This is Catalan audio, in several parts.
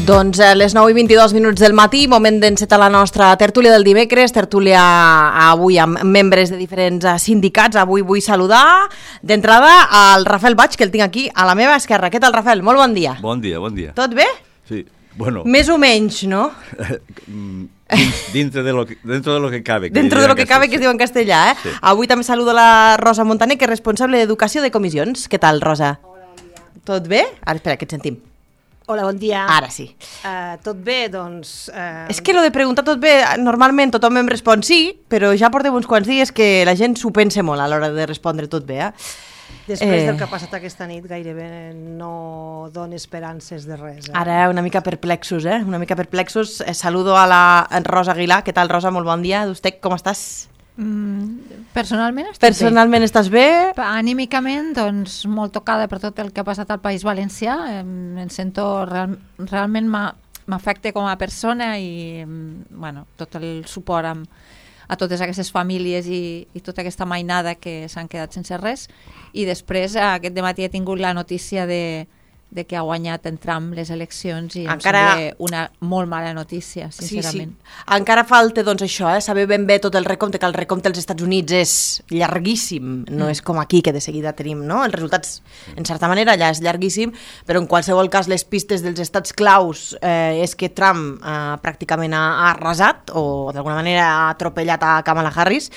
Doncs a les 9:22 del matí, moment d'encetar la nostra tertúlia del dimecres, tertúlia avui amb membres de diferents sindicats. Avui vull saludar d'entrada al Rafael Baig, que el tinc aquí a la meva esquerra. Què tal, Rafael? Molt bon dia. Bon dia, bon dia. Tot bé? Sí, bueno. Més o menys, no? Dentro de lo que cabe. Dentro de lo que cabe, que es diu en castellà, eh? Sí. Avui també saludo la Rosa Montaner, que és responsable d'Educació de Comissions. Què tal, Rosa? Hola, bon dia. Tot bé? Ara, espera, que et sentim. Hola, bon dia. Ara sí. Tot bé, doncs... És que lo de preguntar tot bé, normalment tothom em respon sí, però ja portem uns quants dies que la gent s'ho pensa molt a l'hora de respondre tot bé, Després del que ha passat aquesta nit, gairebé no dona esperances de res. Ara una mica perplexos, Una mica perplexos. Saludo a la Rosa Aguilar. Què tal, Rosa? Molt bon dia. Vostè, com estàs? Personalment estic Personalment bé. Estàs bé? Anímicament, doncs, molt tocada per tot el que ha passat al País Valencià. Em sento... Realment m'afecta com a persona i, bueno, tot el suport a totes aquestes famílies i tota aquesta mainada que s'han quedat sense res. I després, aquest dematí he tingut la notícia de que ha guanyat en Trump les eleccions i em sembla una molt mala notícia, sincerament. Sí. Encara falta, doncs, això, saber ben bé tot el recompte, que el recompte als Estats Units és llarguíssim, no és com aquí, que de seguida tenim, no? Els resultats, en certa manera, allà és llarguíssim, però en qualsevol cas les pistes dels estats claus és que Trump pràcticament ha arrasat, o d'alguna manera ha atropellat a Kamala Harris,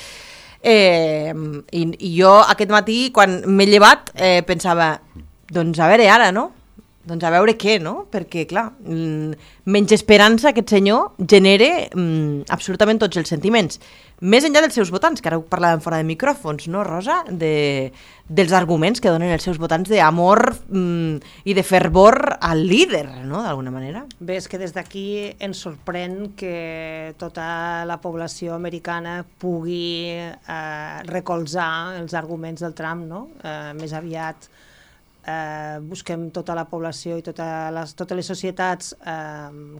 i jo aquest matí, quan m'he llevat, pensava, doncs a veure ara, no? Doncs a veure què, no? Perquè, clar, menys esperança aquest senyor genera absolutament tots els sentiments. Més enllà dels seus votants, que ara ho parlàvem fora de micròfons, no, Rosa? Dels arguments que donen els seus votants d'amor i de fervor al líder, no?, d'alguna manera. Bé, és que des d'aquí ens sorprèn que tota la població americana pugui recolzar els arguments del Trump, no? Més aviat busquem tota la població i totes les societats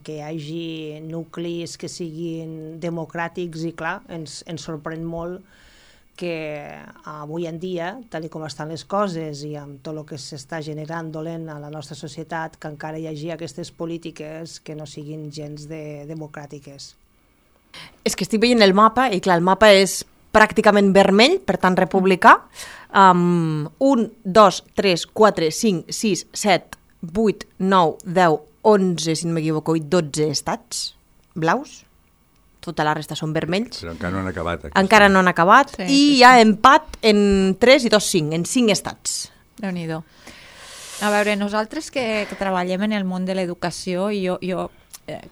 que hi hagi nuclis que siguin democràtics i, clar, ens sorprèn molt que avui en dia, tal com estan les coses i amb tot el que s'està generant dolent a la nostra societat, que encara hi hagi aquestes polítiques que no siguin gens democràtiques. És que estic veient el mapa i, clar, el mapa és pràcticament vermell, per tant republicà. 1, 2, 3, 4, 5, 6, 7, 8, 9, 10, 11, si no m'equivoco, i 12 estats blaus. Tota la resta són vermells. Però encara no han acabat. Encara no han acabat. Sí, i hi ha empat en 3 i 2, 5, en 5 estats. Déu-n'hi-do. A veure, nosaltres que treballem en el món de l'educació, i jo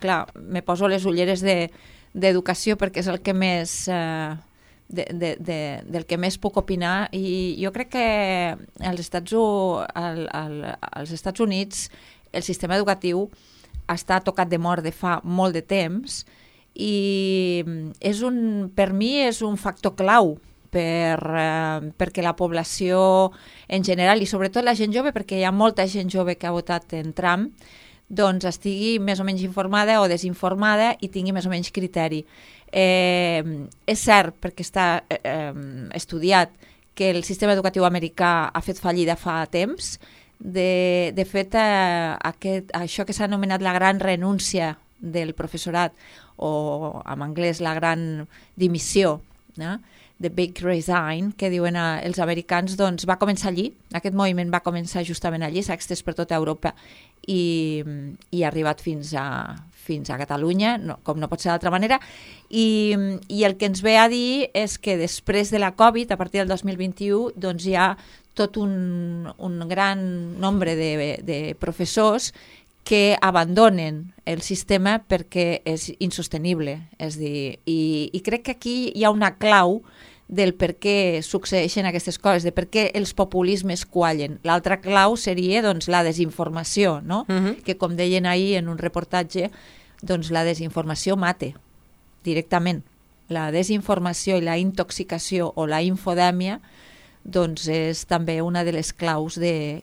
clar, me poso les ulleres d'educació perquè és el que més... del que més puc opinar, i jo crec que als Estats Units el sistema educatiu està tocat de mort de fa molt de temps i per mi és un factor clau perquè la població en general i sobretot la gent jove, perquè hi ha molta gent jove que ha votat en Trump, doncs estigui més o menys informada o desinformada i tingui més o menys criteri. És cert, perquè està estudiat, que el sistema educatiu americà ha fet fallida fa temps. De fet, això que s'ha anomenat la gran renúncia del professorat, o en anglès la gran dimissió, no? The Big Resign, que diuen els americans, doncs va començar allí. Aquest moviment va començar justament allí, s'ha extès per tota Europa i ha arribat fins a Catalunya, com no pot ser d'altra manera, i el que ens ve a dir és que després de la Covid, a partir del 2021, doncs hi ha tot un gran nombre de professors que abandonen el sistema perquè és insostenible. És dir, i crec que aquí hi ha una clau del per què succeeixen aquestes coses, de per què els populismes quallen. L'altra clau seria, doncs, la desinformació, no? Que, com deien ahir en un reportatge, doncs la desinformació mata directament. La desinformació i la intoxicació o la infodèmia doncs és també una de les claus,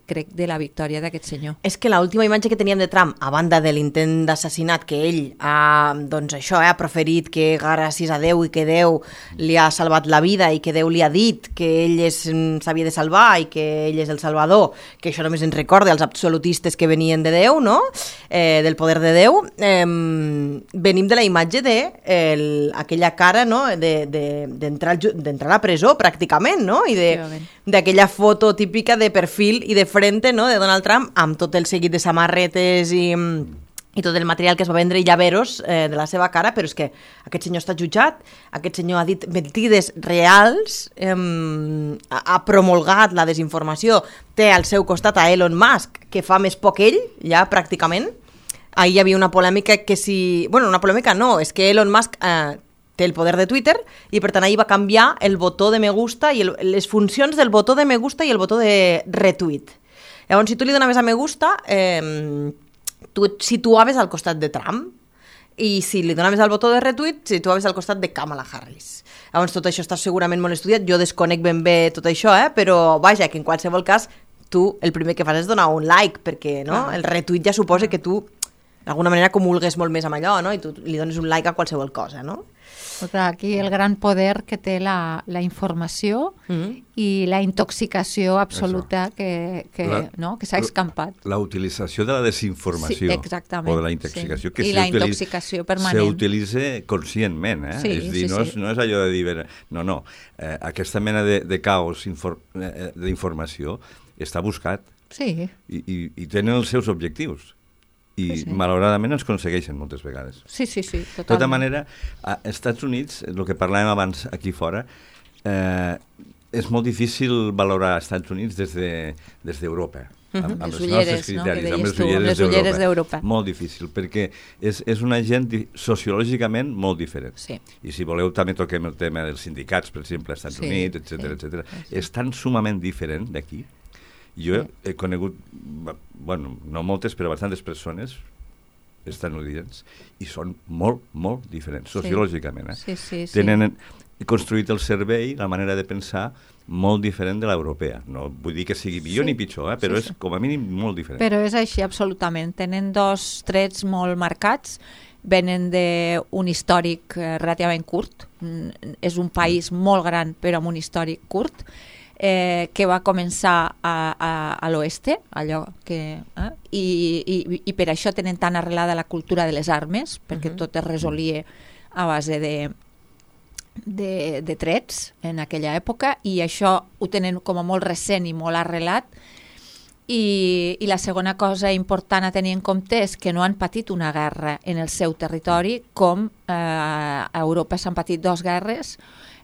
crec, de la victòria d'aquest senyor. És que l'última imatge que teníem de Trump, a banda de l'intent d'assassinat que ell ha, doncs això, ha proferit que gràcies a Déu i que Déu li ha salvat la vida i que Déu li ha dit que ell s'havia de salvar i que ell és el salvador, que això només ens recorda als absolutistes que venien de Déu, no? Del poder de Déu. Venim de la imatge d'aquella cara, no? d'entrar a la presó, pràcticament, no? I d'aquella foto típica de perfil i de frente, no? De Donald Trump, amb tot el seguit de samarretes i tot el material que es va vendre i llaveros de la seva cara, però és que aquest senyor està jutjat, aquest senyor ha dit mentides reals, ha promulgat la desinformació, té al seu costat a Elon Musk, que fa més poc ell, ja pràcticament. Ahir hi havia una polèmica que si... Bueno, una polèmica no, és que Elon Musk té el poder de Twitter i per tant ahir va canviar el botó de me gusta i les funcions del botó de me gusta i el botó de retweet. Llavors, si tu li donaves a me gusta, tu et situaves al costat de Trump, i si li donaves al botó de retweet, situaves al costat de Kamala Harris. Llavors, tot això està segurament molt estudiat, jo desconec ben bé tot això, però vaja, que en qualsevol cas tu el primer que fas és donar un like, perquè no? El retweet ja suposa que tu d'alguna manera comulgues molt més amb allò, no? I tu li dones un like a qualsevol cosa, no? Però clar, aquí el gran poder que té la informació i la intoxicació absoluta que s'ha escampat. La utilització de la desinformació o de la intoxicació que i la intoxicació permanent. S'utilitza conscientment, Sí, és dir, no és allò de dir... No. Aquesta mena de caos d'informació està buscat i tenen els seus objectius. I malauradament els aconsegueixen moltes vegades. Sí, totalment. De tota manera, als Estats Units, el que parlàvem abans aquí fora, és molt difícil valorar els Estats Units des d'Europa. Amb els nostres criteris, amb les ulleres d'Europa. Molt difícil, perquè és una gent sociològicament molt diferent. I si voleu també toquem el tema dels sindicats, per exemple, als Estats Units, etc. És tan sumament diferent d'aquí. Jo he conegut, no moltes, però bastantes persones estatunidencs i són molt, molt diferents, sociològicament. Tenen construït el cervell, la manera de pensar, molt diferent de l'europea. No vull dir que sigui millor ni pitjor, però és com a mínim molt diferent. Però és així, absolutament. Tenen dos trets molt marcats, venen d'un històric relativament curt, és un país molt gran però amb un històric curt, que va començar a l'oeste, allò que... I per això tenen tan arrelada la cultura de les armes, perquè tot es resolia a base de trets en aquella època, i això ho tenen com a molt recent i molt arrelat. I la segona cosa important a tenir en compte és que no han patit una guerra en el seu territori, com a Europa s'han patit dues guerres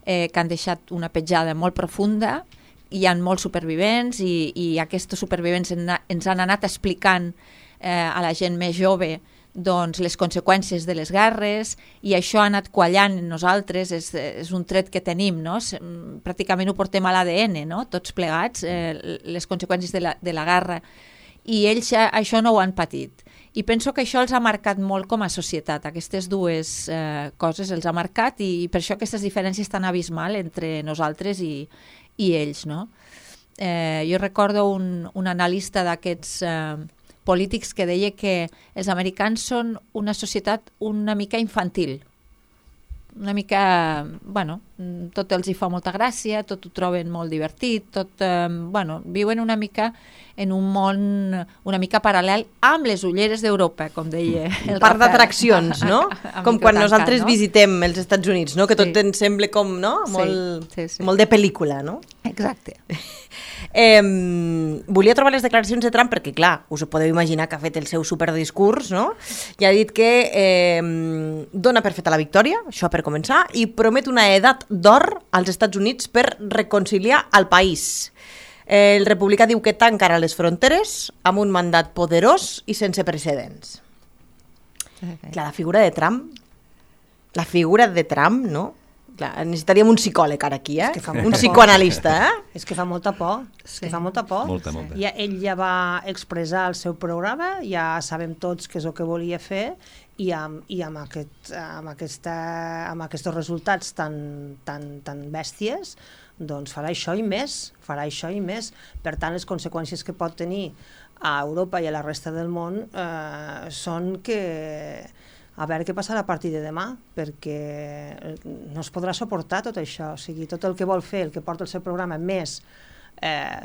que han deixat una petjada molt profunda. Hi ha molts supervivents i aquests supervivents ens han anat explicant a la gent més jove doncs, les conseqüències de les guerres, i això ha anat quallant en nosaltres, és un tret que tenim, no? Pràcticament ho portem a l'ADN, no? Tots plegats, les conseqüències de la guerra, i ells això no ho han patit. I penso que això els ha marcat molt com a societat, aquestes dues coses els ha marcat, i per això aquestes diferències tan abismals entre nosaltres i ells, no? Jo recordo un analista d'aquests polítics que deia que els americans són una societat una mica infantil, una mica, tot els hi fa molta gràcia, tot ho troben molt divertit, viuen una mica en un món una mica paral·lel amb les ulleres d'Europa, com deia el Rafael. Parc d'atraccions, no? Com quan nosaltres visitem els Estats Units, no? Que tot ens sembla com, no? Molt de pel·lícula, no? Exacte. Volia trobar les declaracions de Trump perquè, clar, us ho podeu imaginar que ha fet el seu superdiscurs, no? I ha dit que dona per feta la victòria, això per començar, i promet una edat d'or als Estats Units per reconciliar el país. El republicà diu que tancarà les fronteres amb un mandat poderós i sense precedents. Clar, la figura de Trump, no? Clar, necessitaríem un psicòleg ara aquí, un psicoanalista, És que fa molta por, Molta. Ell ja va expressar el seu programa, ja sabem tots què és el que volia fer, i amb aquests resultats tan bèsties, doncs farà això i més, Per tant, les conseqüències que pot tenir a Europa i a la resta del món són que a veure què passarà a partir de demà, perquè no es podrà suportar tot això, o sigui, tot el que vol fer, el que porta el seu programa, més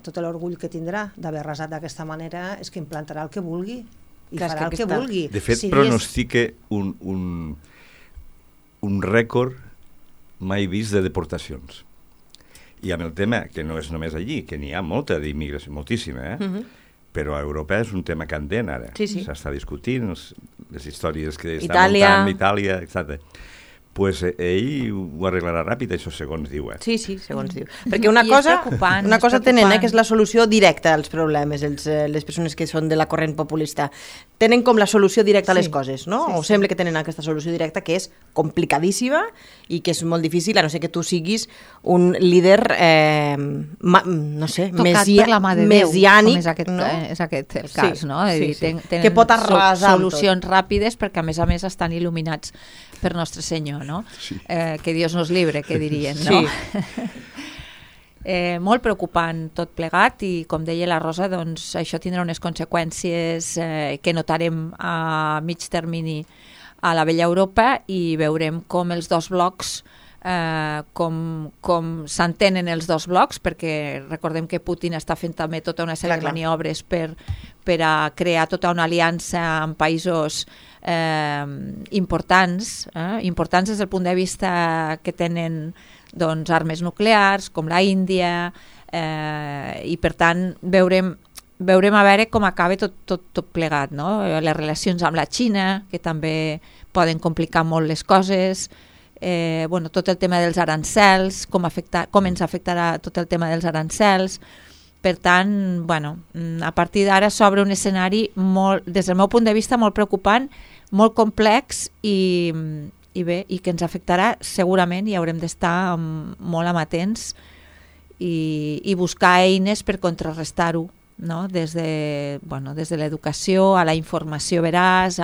tot l'orgull que tindrà d'haver arrasat d'aquesta manera, és que implantarà el que vulgui i farà el que vulgui. De fet, pronostica un rècord mai vist de deportacions. I amb el tema, que no és només allí, que n'hi ha molta d'immigració, moltíssima, però a Europa és un tema candent ara. S'està discutint les històries que estan muntant Itàlia, etc. Pues ell ho arreglarà ràpid, això segons diu. Sí, segons diu. Perquè una cosa tenen, que és la solució directa als problemes, les persones que són de la corrent populista. Tenen com la solució directa a les coses, no? O sembla que tenen aquesta solució directa, que és complicadíssima i que és molt difícil, a no ser que tu siguis un líder, no sé, messiànic. És aquest el cas, no? Que pot arrasar solucions ràpides perquè, a més, estan il·luminats per Nostre Senyor, no? Que Dios nos libre, que dirien, no? Molt preocupant tot plegat i, com deia la Rosa, doncs això tindrà unes conseqüències que notarem a mig termini a la vella Europa i veurem com els dos blocs, com s'entenen els dos blocs, perquè recordem que Putin està fent també tota una sèrie de maniobres per a crear tota una aliança amb països importants des del punt de vista que tenen armes nuclears, com la Índia, i per tant veurem a veure com acaba tot plegat, no? Les relacions amb la Xina, que també poden complicar molt les coses, tot el tema dels arancels, com ens afectarà tot el tema dels arancels. Per tant, a partir d'ara s'obre un escenari, des del meu punt de vista, molt preocupant, molt complex i que ens afectarà segurament, i haurem d'estar molt amatents i buscar eines per contrarrestar-ho, no? Des de l'educació a la informació veraç,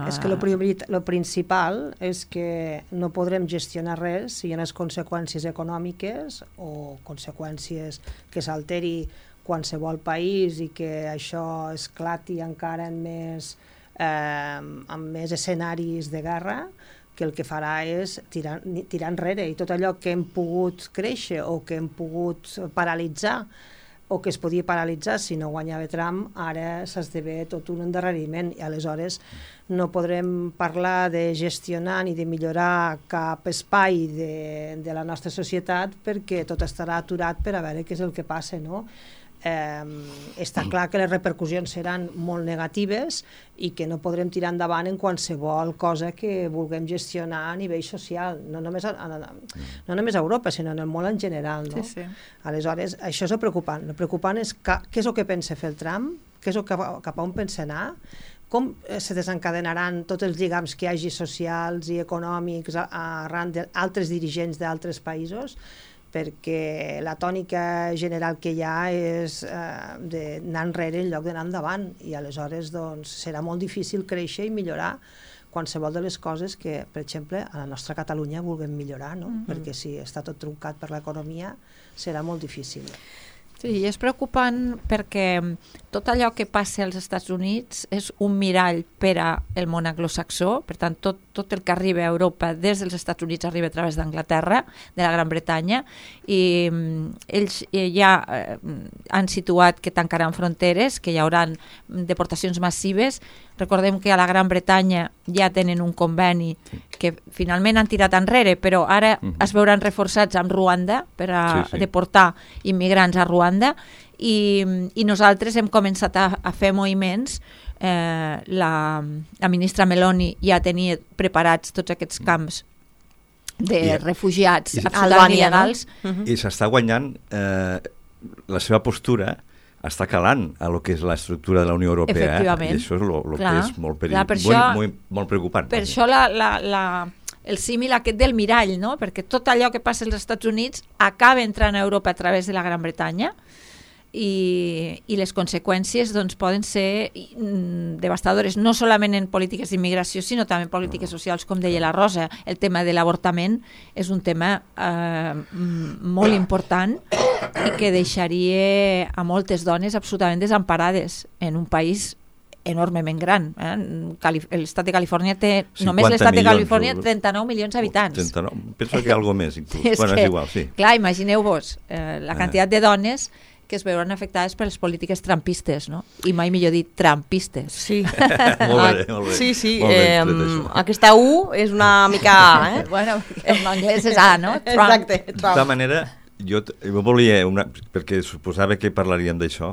És que el principal és que no podrem gestionar res si hi ha unes conseqüències econòmiques o conseqüències que s'alteri qualsevol país i que això esclati encara amb més escenaris de guerra, que el que farà és tirar enrere, i tot allò que hem pogut créixer o que hem pogut paralitzar o que es podia paralitzar si no guanyava Trump, ara s'esdevé tot un endarreriment, i aleshores no podrem parlar de gestionar ni de millorar cap espai de la nostra societat, perquè tot estarà aturat per a veure què és el que passa, no? Està clar que les repercussions seran molt negatives i que no podrem tirar endavant en qualsevol cosa que vulguem gestionar a nivell social, no només a Europa, sinó en el món en general, no? Aleshores, això és el preocupant. El preocupant és què és el que pensa fer el Trump, què és el cap a on pensa anar, com se desencadenaran tots els lligams que hi hagi socials i econòmics arran d'altres dirigents d'altres països, perquè la tònica general que hi ha és d'anar enrere en lloc d'anar endavant, i aleshores serà molt difícil créixer i millorar qualsevol de les coses que, per exemple, a la nostra Catalunya vulguem millorar, no? Perquè si està tot truncat per l'economia serà molt difícil. Sí, és preocupant perquè tot allò que passa als Estats Units és un mirall per al món anglosaxó, per tant, tot el que arriba a Europa des dels Estats Units arriba a través d'Anglaterra, de la Gran Bretanya, i ells ja han situat que tancaran fronteres, que hi haurà deportacions massives. Recordem que a la Gran Bretanya ja tenen un conveni que finalment han tirat enrere, però ara es veuran reforçats amb Ruanda per a deportar immigrants a Ruanda, i nosaltres hem començat a fer moviments. La ministra Meloni ja tenia preparats tots aquests camps de refugiats absolutament il·legals. I s'està guanyant la seva postura, està calant a lo que és l'estructura de la Unió Europea, i això és el que és molt preocupant. Per això el símil aquest del mirall, no? Perquè tot allò que passa als Estats Units acaba entrant a Europa a través de la Gran Bretanya, i les conseqüències doncs, poden ser devastadores, no solament en polítiques d'immigració, sinó també en polítiques socials, com deia la Rosa. El tema de l'avortament és un tema molt important i que deixaria a moltes dones absolutament desemparades en un país enormement gran. L'estat de Califòrnia té, només l'estat de Califòrnia, 39 milions d'habitants. 39, penso que algo més, inclús. Bueno, és igual, sí. Clar, imagineu-vos la quantitat de dones que es veuran afectades per les polítiques trumpistes, no? I mai millor dit, trumpistes. Sí. Molt bé. Sí. Aquesta U és una mica... Bueno, en anglès és A, no? Trump. Exacte. De tota manera, jo volia, perquè suposava que parlaríem d'això.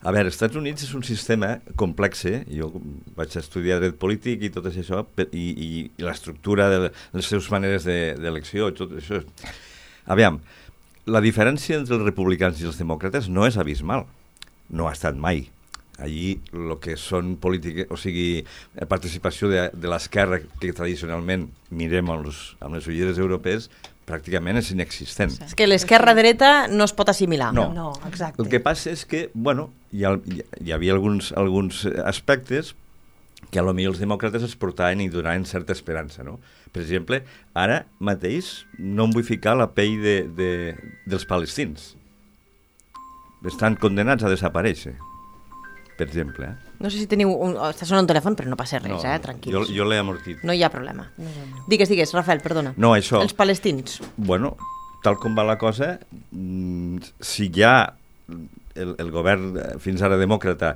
A veure, els Estats Units és un sistema complex, jo vaig estudiar dret polític i tot això, i l'estructura de les seves maneres d'elecció, tot això. Aviam, la diferència entre els republicans i els demòcrates no és abismal, no ha estat mai. Allí el que són polítiques, o sigui, participació de l'esquerra, que tradicionalment mirem amb les ulleres europees, pràcticament és inexistent. És que l'esquerra-dreta no es pot assimilar. No, exacte. El que passa és que, bueno, hi havia alguns aspectes que potser els demòcrates es portaven i donaven certa esperança, no? Per exemple, ara mateix no em vull ficar la pell dels palestins. Estan condenats a desaparèixer, per exemple. No sé si teniu... Està sonant un telèfon, però no passa res, tranquils. Jo l'he amortit. No hi ha problema. Digues, Rafael, perdona. No, això... Els palestins. Bueno, tal com va la cosa, si ja el govern fins ara demòcrata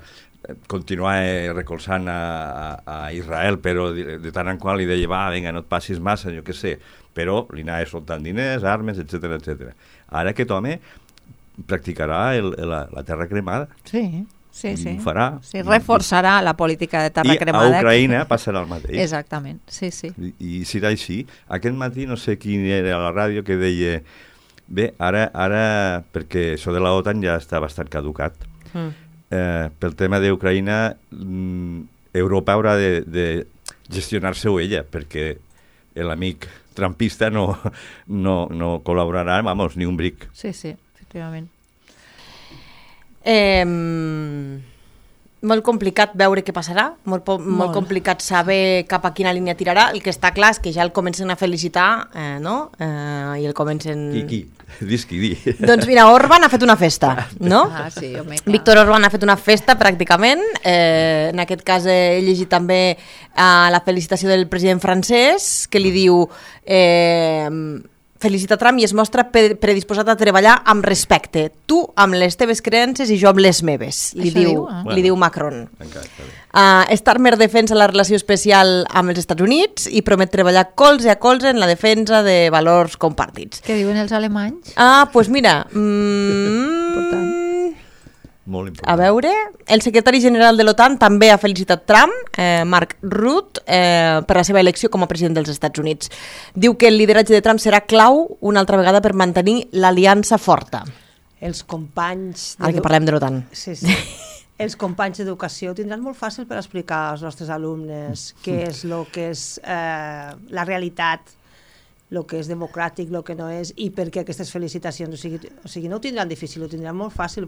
continuava recolzant a Israel, però de tant en qual li deia, va, vinga, no et passis massa, jo què sé, però li anava soltant diners, armes, etc. Ara aquest home practicarà la terra cremada. Sí. Ho farà. Sí, reforçarà la política de terra cremada. I a Ucraïna passarà el mateix. Exactament, sí. I serà així. Aquest matí no sé quin era a la ràdio que deia, bé, ara perquè això de l'OTAN ja està bastant caducat. Pel tema d'Ucraïna, Europa haurà de gestionar-se-ho ella, perquè l'amic trumpista no col·laborarà, vamos, ni un bric. Sí, efectivament. Molt complicat veure què passarà, molt complicat saber cap a quina línia tirarà. El que està clar és que ja el comencen a felicitar, no? I el comencen... Qui? Dis qui di. Doncs mira, Orbán ha fet una festa, no? Sí, home, Víctor Orbán ha fet una festa pràcticament. En aquest cas he llegit també la felicitació del president francès, que li diu... felicita Trump i es mostra predisposat a treballar amb respecte. Tu amb les teves creences i jo amb les meves, li diu Macron. Starmer defensa la relació especial amb els Estats Units i promet treballar colze a colze en la defensa de valors compartits. Què diuen els alemanys? Doncs mira... Molt important. A veure, el secretari general de l'OTAN també ha felicitat Trump, Mark Rutte, per la seva elecció com a president dels Estats Units. Diu que el lideratge de Trump serà clau una altra vegada per mantenir l'aliança forta. Els companys... Ara que parlem de l'OTAN. Sí. Els companys d'educació tindran molt fàcil per explicar als nostres alumnes què és el que és la realitat, el que és democràtic, el que no és, i per què aquestes felicitacions. O sigui, no ho tindran difícil, ho tindran molt fàcil.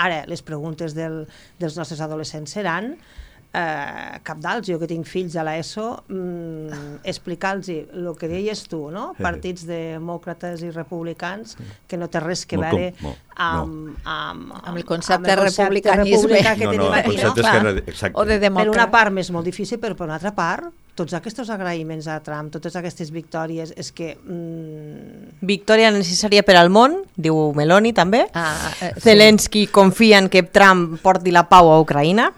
Ara, les preguntes dels nostres adolescents seran cabdals. Jo que tinc fills a l'ESO, explicar-los el que deies tu, no? Partits demòcrates i republicans, que no té res que veure amb el concepte de republicanisme que tenim aquí, no? O de demòcrata. Per una part m'és molt difícil, però per una altra part, tots aquests agraïments a Trump, totes aquestes victòries, és que... Victòria necessària per al món, diu Meloni també. Sí. Zelensky confia en que Trump porti la pau a Ucraïna.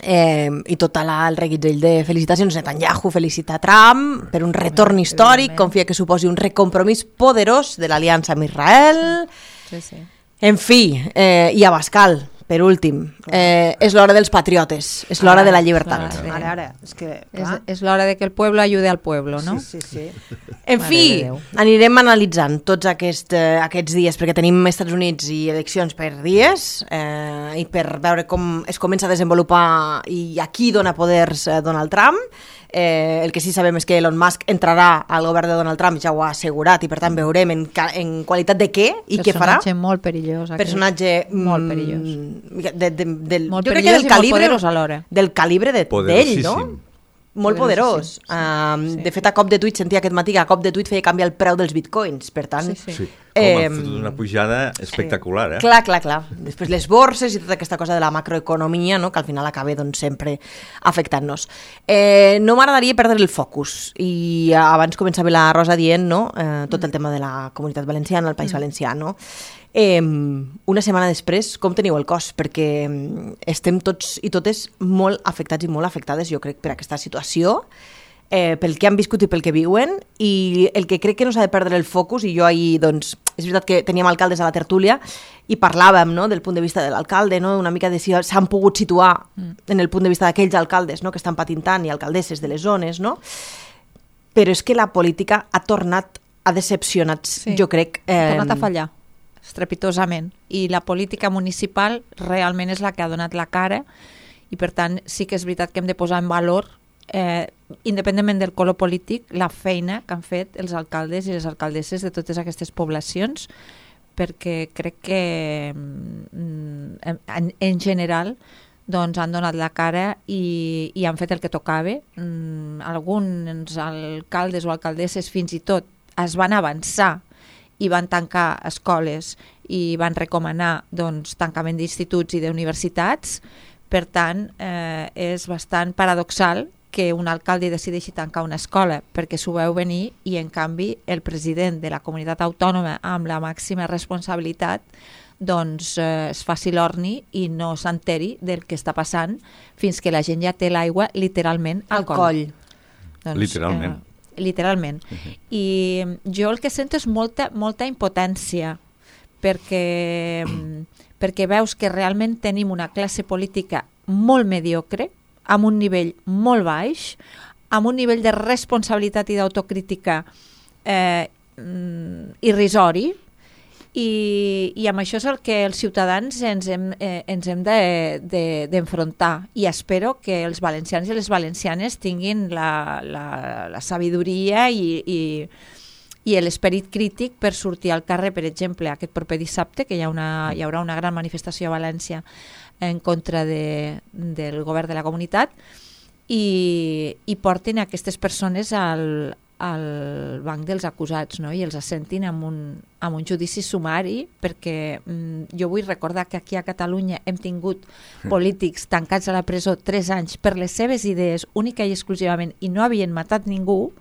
I tot el reguitzell de felicitacions. Netanyahu felicita Trump per un retorn històric, confia que suposi un recompromís poderós de l'aliança amb Israel. Sí. En fi, i Abascal, per últim, és l'hora dels patriotes, és l'hora de la llibertat. Ara, és que... És l'hora de que el pueblo ayude al pueblo, no? Sí. En fi, anirem analitzant tots aquests dies, perquè tenim Estats Units i eleccions per dies, i per veure com es comença a desenvolupar i a qui dona poders Donald Trump. El que sí sabem és que Elon Musk entrarà al govern de Donald Trump, ja ho ha assegurat, i per tant veurem en qualitat de què i què farà. Personatge molt perillós. Personatge molt perillós. Molt perillós i molt poderós alhora. Del calibre d'ell, no? Molt poderós. De fet, a cop de tuit, sentia aquest matí que a cop de tuit feia canviar el preu dels bitcoins, per tant... Sí. Ha fotut una pujada espectacular, Clar. Després les borses i tota aquesta cosa de la macroeconomia, no?, que al final acaba sempre afectant-nos. No m'agradaria perdre el focus, i abans començava la Rosa dient, no?, tot el tema de la Comunitat Valenciana, el País Valencià, no? Una setmana després, com teniu el cos? Perquè estem tots i totes molt afectats i molt afectades, jo crec, per aquesta situació, pel que han viscut i pel que viuen, i el que crec que no s'ha de perdre el focus, i jo ahir, doncs, és veritat que teníem alcaldes a la tertúlia i parlàvem, no?, del punt de vista de l'alcalde, no?, una mica de si s'han pogut situar en el punt de vista d'aquells alcaldes, no?, que estan patint tant, i alcaldesses de les zones, no? Però és que la política ha tornat a decepcionar, jo crec... Ha tornat a fallar, estrepitosament, i la política municipal realment és la que ha donat la cara, i per tant sí que és veritat que hem de posar en valor, independentment del color polític, la feina que han fet els alcaldes i les alcaldesses de totes aquestes poblacions, perquè crec que en general doncs han donat la cara i han fet el que tocava. Alguns alcaldes o alcaldesses fins i tot es van avançar i van tancar escoles i van recomanar doncs, tancament d'instituts i d'universitats. Per tant, és bastant paradoxal que un alcalde decideixi tancar una escola perquè s'ho veu venir, i en canvi el president de la comunitat autònoma amb la màxima responsabilitat doncs es faci l'orni i no s'enteri del que està passant fins que la gent ja té l'aigua literalment al coll. Doncs, literalment. I jo el que sento és molta impotència, perquè veus que realment tenim una classe política molt mediocre, amb un nivell molt baix, amb un nivell de responsabilitat i d'autocrítica irrisori, i amb això és el que els ciutadans ens hem d'enfrontar, i espero que els valencians i les valencianes tinguin la sabidoria i l'esperit crític per sortir al carrer, per exemple, aquest proper dissabte, que hi haurà una gran manifestació a València en contra del govern de la comunitat, i portin aquestes persones al banc dels acusats, no? I els assentin amb un judici sumari, perquè jo vull recordar que aquí a Catalunya hem tingut polítics tancats a la presó 3 anys per les seves idees única i exclusivament, i no havien matat ningú,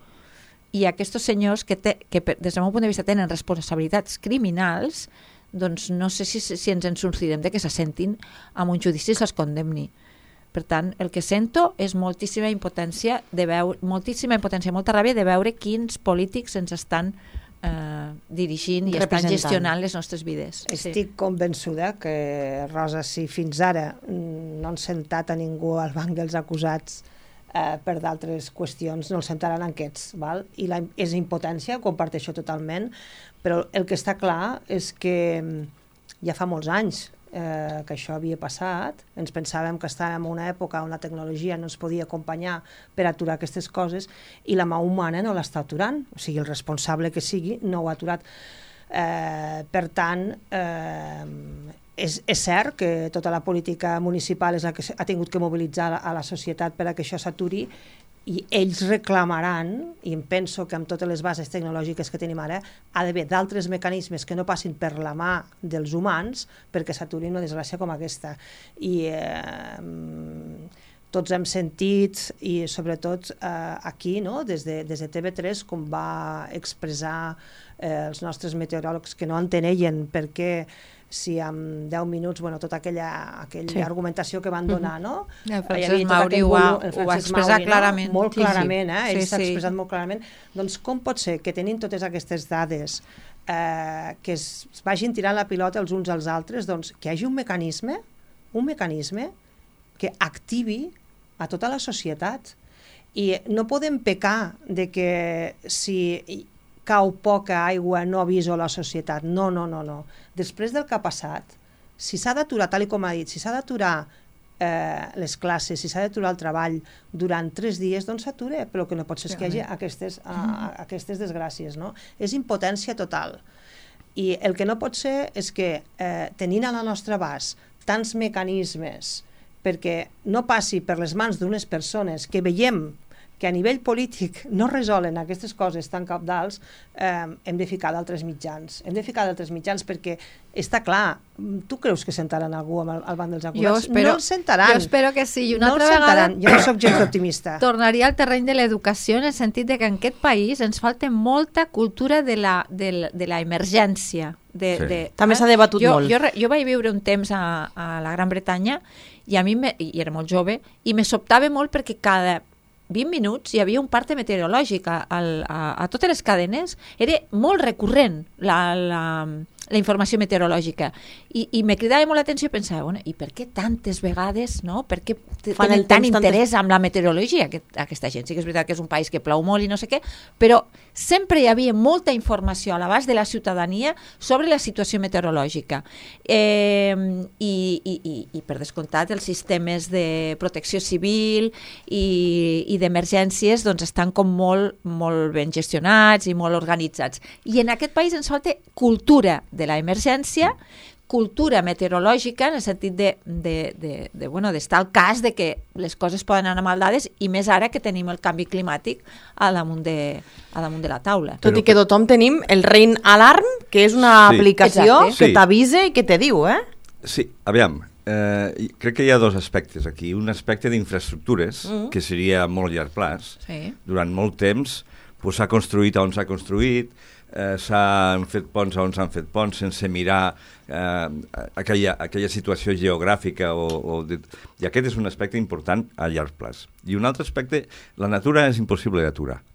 i aquests senyors que des del meu punt de vista tenen responsabilitats criminals, doncs no sé si ens en sortirem de que s'assentin amb un judici i se'ls condemni. Per tant, el que sento és moltíssima impotència, molta ràbia de veure quins polítics ens estan dirigint i estan gestionant les nostres vides. Estic convençuda que, Rosa, si fins ara no han sentat a ningú al banc dels acusats per d'altres qüestions, no el sentaran aquests, val? I és impotència, ho comparteixo totalment, però el que està clar és que ja fa molts anys que això havia passat, ens pensàvem que estàvem en una època on la tecnologia no ens podia acompanyar per aturar aquestes coses, i la mà humana no l'està aturant, o sigui, el responsable que sigui no ho ha aturat. Per tant, és cert que tota la política municipal és la que ha tingut que mobilitzar a la societat per a que això s'aturi, i ells reclamaran, i em penso que amb totes les bases tecnològiques que tenim ara ha d'haver d'altres mecanismes que no passin per la mà dels humans perquè s'aturi una desgràcia com aquesta. I tots hem sentit, i sobretot aquí, no? des de TV3, com va expressar els nostres meteoròlegs que no enteneien perquè si en 10 minuts, bueno, tota aquella argumentació que van donar, no? El Francesc Mauri ho va expressar clarament. Molt clarament, ell s'ha expressat molt clarament. Doncs com pot ser que tenint totes aquestes dades que es vagin tirant la pilota els uns als altres, doncs que hi hagi un mecanisme un mecanisme que activi a tota la societat. I no podem pecar de que si cau poca aigua no aviso la societat. No. Després del que ha passat, si s'ha d'aturar, tal com ha dit, si s'ha d'aturar les classes, si s'ha d'aturar el treball durant 3 dies, doncs s'ature, però que no pot ser que hi hagi aquestes desgràcies, no? És impotència total. I el que no pot ser és que, tenint a la nostra abast tants mecanismes perquè no passi per les mans d'unes persones que veiem que a nivell polític no resolen aquestes coses tan cabdals, hem de ficar d'altres mitjans. Hem de ficar d'altres mitjans perquè està clar, tu creus que sentaran algú al banc dels acusats? No el sentaran. Jo espero que sí. No el sentaran. Jo no soc gens optimista. Tornaria al terreny de l'educació en el sentit de que en aquest país ens falta molta cultura de la emergència. També s'ha debatut molt. Jo vaig viure un temps a la Gran Bretanya i a mi, i era molt jove, i me sobtava molt perquè cada 20 minuts hi havia un parte meteorològic a totes les cadenes. Era molt recurrent la informació meteorològica i me cridava molt l'atenció i pensava, bueno, i per què tantes vegades, no? Per què tenen tant interès amb la meteorologia aquesta gent? Sí que és veritat que és un país que plou molt i no sé què, però sempre hi havia molta informació a l'abast de la ciutadania sobre la situació meteorològica i per descomptat els sistemes de protecció civil i d'emergències doncs estan com molt ben gestionats i molt organitzats, i en aquest país ens falta cultura de la emergència, cultura meteorològica en el sentit d'estar al cas de que les coses poden anar mal dades, i més ara que tenim el canvi climàtic a damunt de la taula. Tot i que tothom tenim el Rain Alarm, que és una aplicació que t'avisa i que te diu, Sí, aviam, crec que hi ha 2 aspectes aquí. Un aspecte d'infraestructures, que seria a molt llarg plaç. Durant molt temps s'ha construït on s'ha construït, s'han fet ponts on s'han fet ponts sense mirar aquella situació geogràfica i aquest és un aspecte important a llarg plaç. I un altre aspecte, la natura és impossible d'aturar.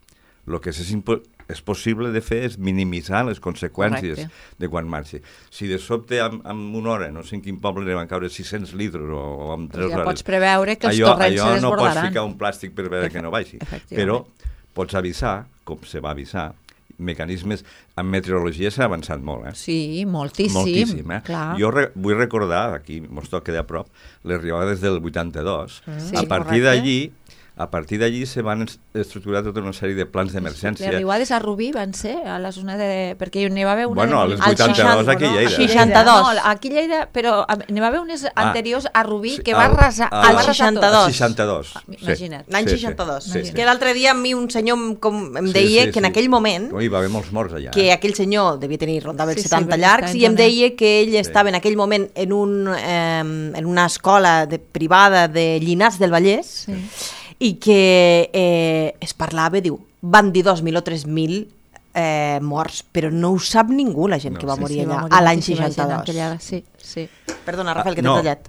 El que és possible de fer és minimitzar les conseqüències de quan marxi. Si de sobte amb una hora, no sé en quin poble van caure 600 litres o amb 3 hores... Ja pots preveure que els torrents se desbordaran. Allò no pots ficar un plàstic per veure que no vagi, però pots avisar, com se va avisar, mecanismes. En meteorologia s'ha avançat molt, Sí, moltíssim. Clar. Jo vull recordar, aquí mos toca de a prop, les riuades del 82. A partir d'allí se van estructurar tota una sèrie de plans d'emergència. Les riuades a Rubí van ser a la zona de... perquè n'hi va haver una... Bueno, als 82 aquí a Lleida. 62. No, aquí a Lleida, però n'hi va haver unes anteriors a Rubí que va arrasar... Al 62. 62. Imagina't. L'any 62. Que l'altre dia a mi un senyor em deia que en aquell moment... Hi va haver molts morts allà. Que aquell senyor devia tenir, rondava els 70 llargs, i em deia que ell estava en aquell moment en una escola privada de Llinars del Vallès, i que es parlava, diu, van dir 2.000 o 3.000 morts, però no ho sap ningú, la gent que va morir allà a l'any 62. Perdona, Rafael, que t'he tallat.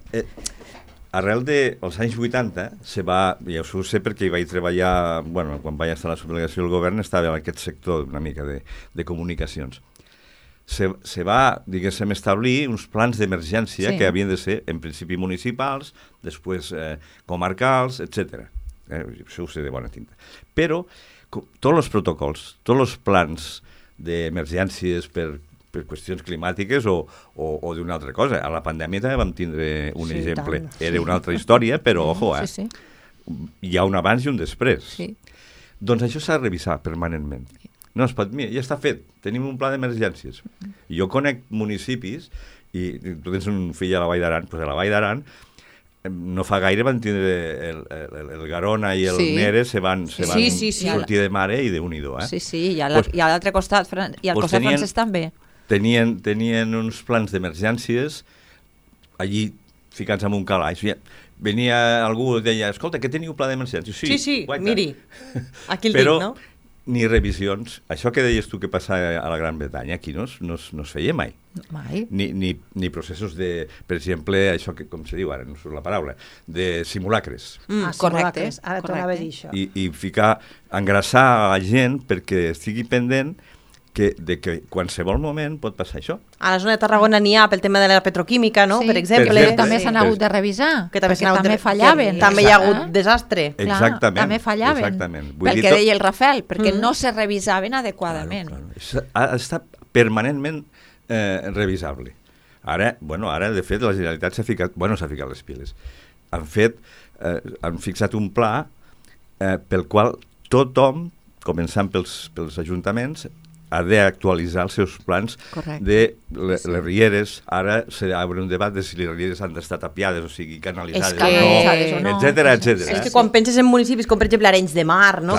Arrel dels anys 80 se va, ja ho sé perquè hi vaig treballar, bueno, quan vaig estar a la subdelegació del govern estava en aquest sector una mica de comunicacions. Se va, diguéssim, establir uns plans d'emergència que havien de ser, en principi, municipals, després comarcals, etc. Això ho sé de bona tinta. Però tots els protocols, tots els plans d'emergències per qüestions climàtiques o d'una altra cosa. A la pandèmia també vam tindre un exemple. Era una altra història, però, ojo, hi ha un abans i un després. Doncs això s'ha de revisar permanentment. No es pot, mira, ja està fet, tenim un pla d'emergències. Jo conec municipis, i tu tens un fill a la Vall d'Aran, doncs a la Vall d'Aran no fa gaire van tindre el Garona i el Nere se van sortir de mare i d'un-i-do. I a l'altre costat, i al costat francès també. Tenien uns plans d'emergències allí ficats en un calaix. Venia algú i deia, escolta, que teniu pla d'emergències? Sí, miri, aquí el dic, no? Ni revisions. Això que deies tu que passa a la Gran Bretanya, aquí no es feia mai. Mai. Ni processos de, per exemple, això que, com se diu ara, no surt la paraula, de simulacres. Correcte. Ara tornava a dir això. I engrassar a la gent perquè estigui pendent de que qualsevol moment pot passar això. A la zona de Tarragona n'hi ha pel tema de la petroquímica, no? Sí, per exemple. però també s'han hagut de revisar, perquè també fallaven. També hi ha hagut desastre. Exactament. També fallaven, exactament. Pel que deia el Rafael, perquè no se revisaven adequadament. Claro. Ha estat permanentment revisable. Ara, de fet, la Generalitat s'ha ficat les piles. Han fixat un pla pel qual tothom, començant pels ajuntaments, ha d'actualitzar els seus plans de les rieres. Ara s'obre un debat de si les rieres han d'estar tapiades, o sigui, canalitzades o no, etcètera. És que quan penses en municipis com, per exemple, Arenys de Mar, no?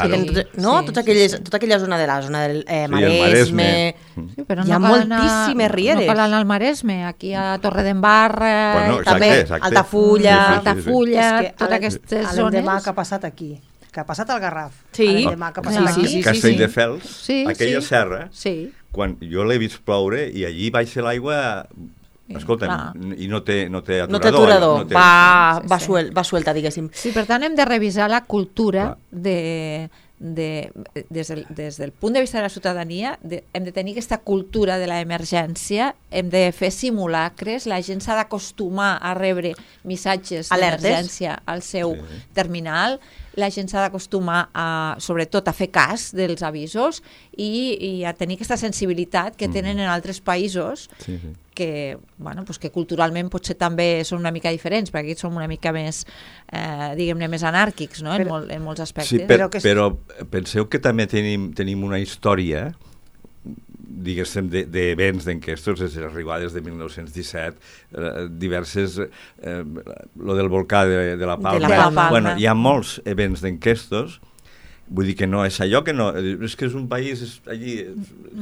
Tota aquella zona de la zona del Maresme... Hi ha moltíssimes rieres. No cal anar al Maresme, aquí a Torredembarra, també Altafulla... Totes aquestes zones... L'endemà que ha passat aquí, que ha passat al Garraf. Castelldefels, aquella serra, quan jo l'he vist ploure i allí baixa l'aigua, escolta'm, i no té aturador. Va suelta, diguéssim. Sí, per tant hem de revisar la cultura des del punt de vista de la ciutadania, hem de tenir aquesta cultura de l'emergència, hem de fer simulacres, la gent s'ha d'acostumar a rebre missatges d'emergència al seu terminal, la gent s'ha d'acostumar sobretot a fer cas dels avisos i a tenir aquesta sensibilitat que tenen en altres països que culturalment potser també són una mica diferents, perquè aquí som una mica més, diguem-ne, més anàrquics, no? En molts aspectes. Sí, però penseu que també tenim una història, diguéssim, d'events, d'enquestos, des de les arribades de 1917, diverses, lo del volcà de la Palma. Hi ha molts events d'enquestos. Vull dir que no és allò que no... És que és un país allí,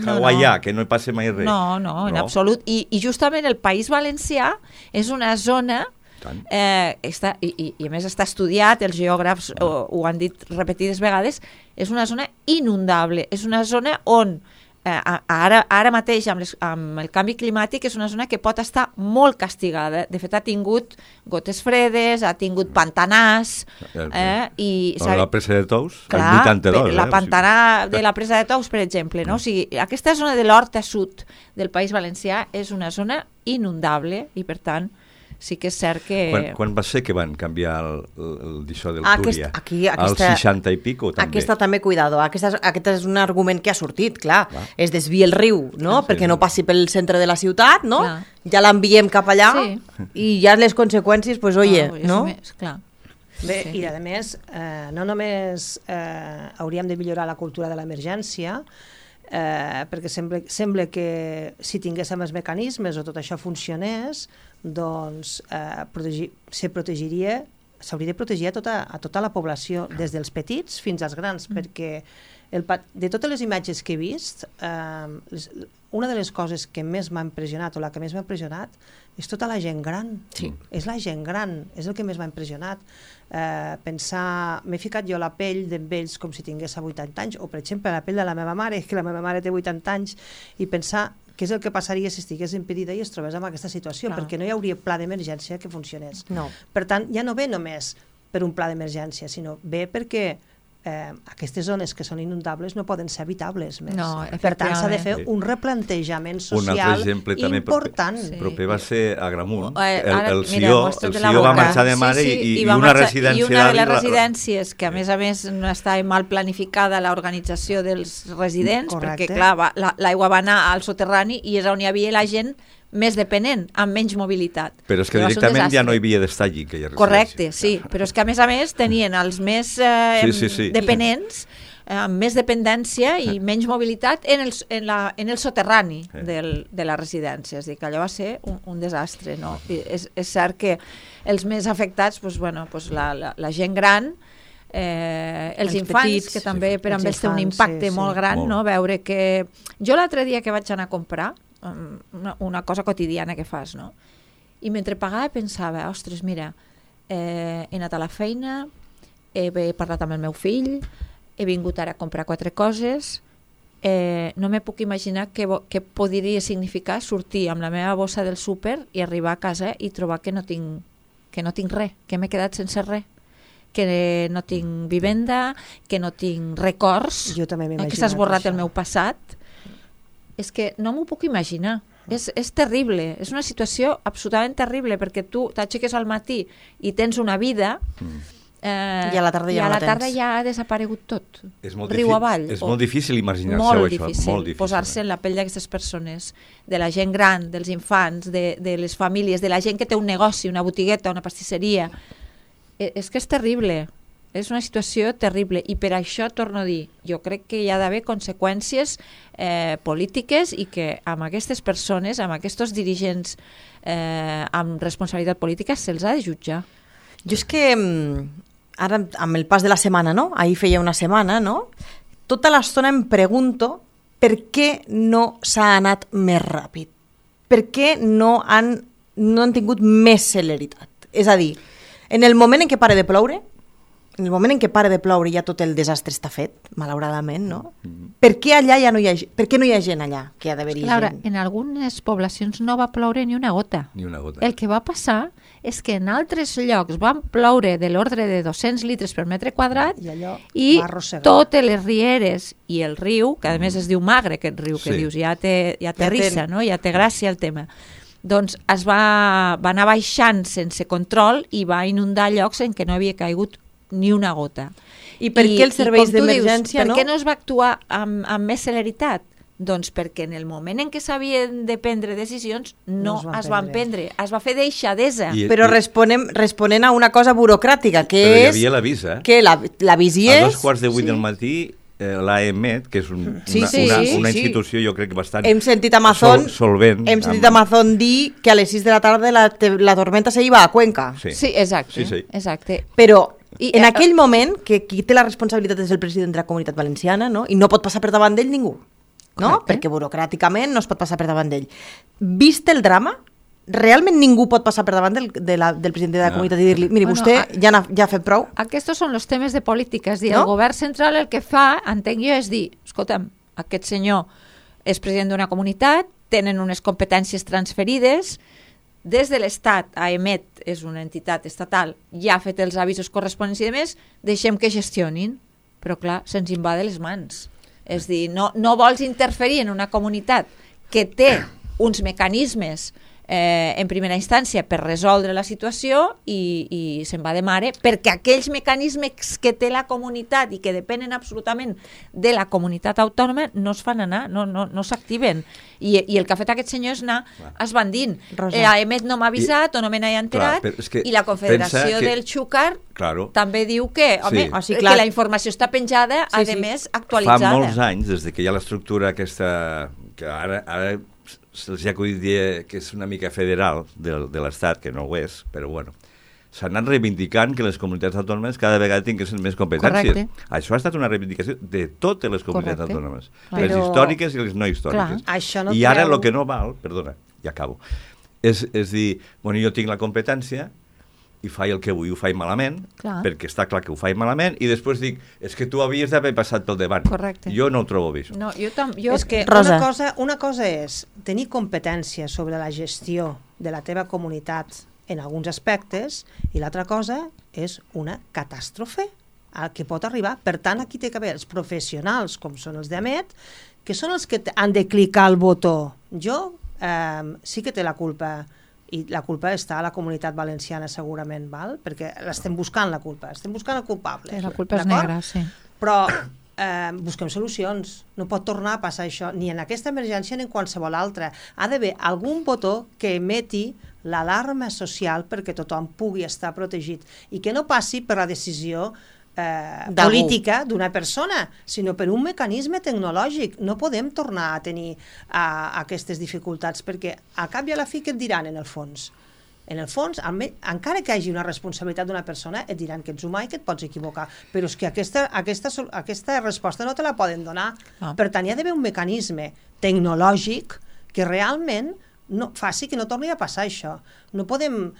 hawaià, que no hi passa mai res. No, en absolut. I justament el País Valencià és una zona... I a més està estudiat, els geògrafs ho han dit repetides vegades, és una zona inundable, és una zona on ara mateix amb el canvi climàtic és una zona que pot estar molt castigada. De fet ha tingut gotes fredes, ha tingut pantanars la presa de Tous, el 82. La pantanà de la presa de Tous, per exemple, no? O sigui, aquesta zona de l'Horta Sud del País Valencià és una zona inundable i per tant sí que és cert que... Quan va ser que van canviar d'això del Túria? Al 60 i pico, també. Aquesta també, cuidado. Aquest és un argument que ha sortit, clar. Es desvia el riu, no? Perquè no passi pel centre de la ciutat, no? Ja l'enviem cap allà i ja les conseqüències, pues, no? Bé, i a més, no només hauríem de millorar la cultura de l'emergència, perquè sembla que si tinguéssim els mecanismes o tot això funcionés, doncs s'hauria de protegir a tota la població, des dels petits fins als grans, perquè de totes les imatges que he vist, una de les coses que més m'ha impressionat, o la que més m'ha impressionat, és tota la gent gran. És la gent gran, és el que més m'ha impressionat. M'he ficat jo la pell d'ells com si tingués 80 anys, o per exemple la pell de la meva mare, que la meva mare té 80 anys, i pensar què és el que passaria si estigués impedida i es trobés en aquesta situació, perquè no hi hauria pla d'emergència que funcionés. Per tant, ja no ve només per un pla d'emergència, sinó ve perquè aquestes zones que són inundables no poden ser habitables més. Per tant, s'ha de fer un replantejament social important. Proper va ser a Gramunt. El Sió va marxar de mare i una residència... I una de les residències, que a més no estava mal planificada l'organització dels residents, perquè clar, l'aigua va anar al soterrani i és on hi havia la gent més dependent, amb menys mobilitat. Però és que directament ja no hi havia d'estar allí. Correcte, sí, però és que a més tenien els més dependents, amb més dependència i menys mobilitat en el soterrani de la residència. És a dir, que allò va ser un desastre. És cert que els més afectats, la gent gran, els infants, que també per amb ells té un impacte molt gran, veure que... Jo l'altre dia que vaig anar a comprar, una cosa quotidiana que fas, no? I mentre pagava pensava, ostres, mira, he anat a la feina, he parlat amb el meu fill, he vingut ara a comprar 4 coses, no me puc imaginar què podria significar sortir amb la meva bossa del súper i arribar a casa i trobar que no tinc res, que m'he quedat sense res, que no tinc vivenda, que no tinc records, que s'ha esborrat el meu passat. és que no m'ho puc imaginar. És terrible, és una situació absolutament terrible, perquè tu t'aixeques al matí i tens una vida i a la tarda ja no la tens. I a la tarda ja ha desaparegut tot, riu avall. És molt difícil imaginar-se molt això. Difícil, molt difícil posar-se en la pell d'aquestes persones, de la gent gran, dels infants, de les famílies, de la gent que té un negoci, una botigueta, una pastisseria. És que és terrible. És una situació terrible i per això, torno a dir, jo crec que hi ha d'haver conseqüències polítiques i que amb aquestes persones, amb aquests dirigents amb responsabilitat política, se'ls ha de jutjar. Jo és que ara, amb el pas de la setmana, no? Ahir feia una setmana, no? Tota l'estona em pregunto per què no s'ha anat més ràpid. Per què no han tingut més celeritat? És a dir, en el moment en què pare de ploure, en el moment en què pare de ploure ja tot el desastre està fet, malauradament, no? Per què allà ja no hi ha gent? Per què no hi ha gent allà que ha d'haver-hi gent? En algunes poblacions no va ploure ni una gota. Ni una gota. El que va passar és que en altres llocs van ploure de l'ordre de 200 litres per metre quadrat i totes les rieres i el riu, que a més es diu Magre, aquest riu, que dius, ja té rissa, no? Ja té gràcia el tema. Doncs es va anar baixant sense control i va inundar llocs en què no havia caigut ni una gota. I per què els serveis d'emergència no? Per què no es va actuar amb més celeritat? Doncs perquè en el moment en què s'havien de prendre decisions no es van prendre. Es va fer deixadesa. Però responent a una cosa burocràtica, que però és... hi havia l'avís, que l'avís hi és... A 2:15 del matí l'AEMET, que és una institució jo crec bastant solvent. Hem sentit Amazon dir que a les 6 de la tarda la tormenta se iba a Cuenca. Sí, exacte. Però en aquell moment, que qui té la responsabilitat és el president de la Comunitat Valenciana, no? I no pot passar per davant d'ell ningú, no? Perquè burocràticament no es pot passar per davant d'ell. Vist el drama, realment ningú pot passar per davant del president de la comunitat i dir-li, miri, vostè ja ha fet prou? Aquests són els temes de política, és dir, el govern central el que fa, entenc jo, és dir, escolta'm, aquest senyor és president d'una comunitat, tenen unes competències transferides, des de l'Estat, AEMET és una entitat estatal, ja ha fet els avisos corresponents i demés, deixem que gestionin, però clar, se'ns invade les mans. És dir, no vols interferir en una comunitat que té uns mecanismes en primera instància per resoldre la situació i se'n va de mare perquè aquells mecanismes que té la comunitat i que depenen absolutament de la comunitat autònoma no es fan anar, no s'activen i el que ha fet aquest senyor és anar esbandint. L'AEMET no m'ha avisat o no me n'he enterat i la Confederació del Xúquer també diu que la informació està penjada, a més actualitzada. Fa molts anys, des que hi ha l'estructura aquesta que ara se'ls ha acudit dir que és una mica federal de l'Estat, que no ho és, però bueno, s'han anat reivindicant que les comunitats autònomes cada vegada tinguessin més competències. Correcte. Això ha estat una reivindicació de totes les comunitats autònomes, les històriques i les no històriques. I ara el que no val, perdona, ja acabo, és dir, bueno, jo tinc la competència i faig el que vull, ho faig malament, perquè està clar que ho faig malament, i després dic, és que tu havies d'haver passat pel davant. Correcte. Jo no ho trobo bé. No, és que una cosa és tenir competència sobre la gestió de la teva comunitat en alguns aspectes, i l'altra cosa és una catàstrofe al que pot arribar. Per tant, aquí té que haver els professionals, com són els d'AEMET, que són els que han de clicar el botó. Jo sí que té la culpa, i la culpa està a la comunitat valenciana segurament, val? Perquè l'estem buscant la culpa, estem buscant el culpable. La culpa és negra, sí. Però busquem solucions, no pot tornar a passar això, ni en aquesta emergència ni en qualsevol altra. Ha d'haver algun botó que emeti l'alarma social perquè tothom pugui estar protegit i que no passi per la decisió política d'una persona, sinó per un mecanisme tecnològic. No podem tornar a tenir aquestes dificultats perquè al cap i a la fi què et diran en el fons? En el fons, encara que hi hagi una responsabilitat d'una persona, et diran que ets humà i que et pots equivocar, però és que aquesta resposta no te la poden donar. Per tant, hi ha d'haver un mecanisme tecnològic que realment faci que no torni a passar això. No podem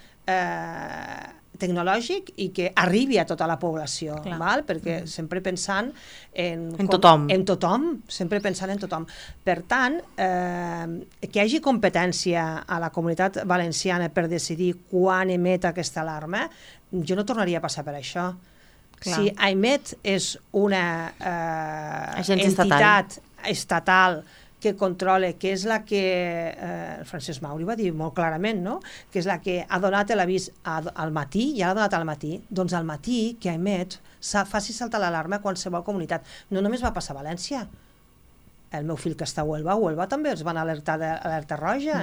tecnològic i que arribi a tota la població, val? Perquè sempre pensant en tothom, sempre pensant en tothom. Per tant, que hi hagi competència a la comunitat valenciana per decidir quan emet aquesta alarma, jo no tornaria a passar per això. Si AEMET és una entitat estatal que controla, que és la que Francesc Mauri va dir molt clarament, no? Que és la que ha donat l'avís al matí, ja l'ha donat al matí, doncs al matí que emet faci saltar l'alarma a qualsevol comunitat. No només va passar a València, el meu fill que està a Huelva també els van alertar d'alerta roja,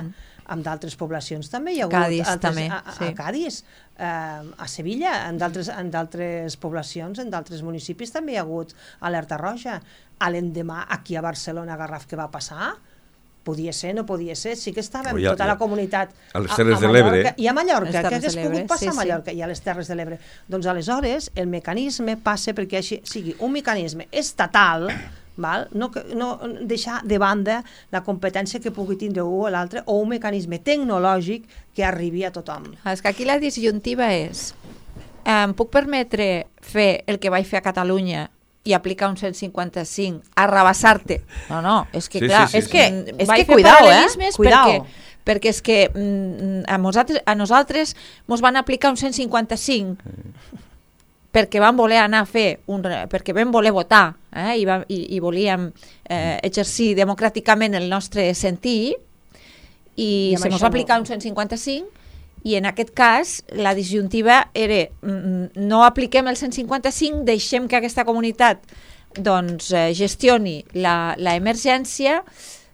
amb d'altres poblacions també hi ha hagut. Cádiz també, sí. A Cádiz, a Sevilla, en d'altres poblacions, en d'altres municipis també hi ha hagut alerta roja. A l'endemà, aquí a Barcelona, a Garraf, què va passar? Podia ser, no podia ser, sí que estàvem tota la comunitat a les Terres de l'Ebre i a Mallorca, que hagués pogut passar a Mallorca i a les Terres de l'Ebre. Doncs aleshores el mecanisme passa perquè així sigui un mecanisme estatal, no deixar de banda la competència que pugui tindre un o l'altre, o un mecanisme tecnològic que arribi a tothom. És que aquí la disjuntiva és em puc permetre fer el que vaig fer a Catalunya i aplicar un 155, arrabassar-te. No, és que clar, és que cuidao, cuidao. Perquè és que a nosaltres mos van aplicar un 155 perquè vam voler anar a fer, perquè vam voler votar i volíem exercir democràticament el nostre sentir i se mos va aplicar un 155 i en aquest cas la disjuntiva era no apliquem el 155, deixem que aquesta comunitat doncs gestioni l'emergència.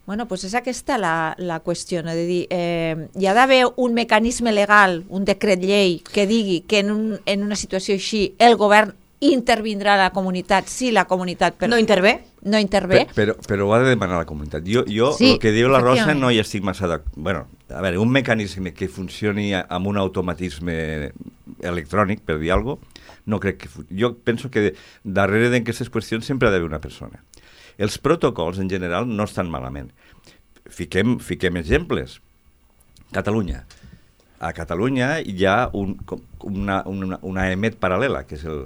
Bueno, doncs és aquesta la qüestió, no? De dir, hi ha d'haver un mecanisme legal, un decret llei que digui que en una situació així el govern intervindrà a la comunitat si la comunitat... No intervé? No intervé. Però ho ha de demanar la comunitat. Jo el que diu la Rosa no hi estic massa d'acord. Bueno, a veure, un mecanisme que funcioni amb un automatisme electrònic, per dir alguna cosa, no crec que... Jo penso que darrere d'aquestes qüestions sempre ha d'haver una persona. Els protocols, en general, no estan malament. Fiquem exemples. Catalunya. A Catalunya hi ha una EMET paral·lela, que és el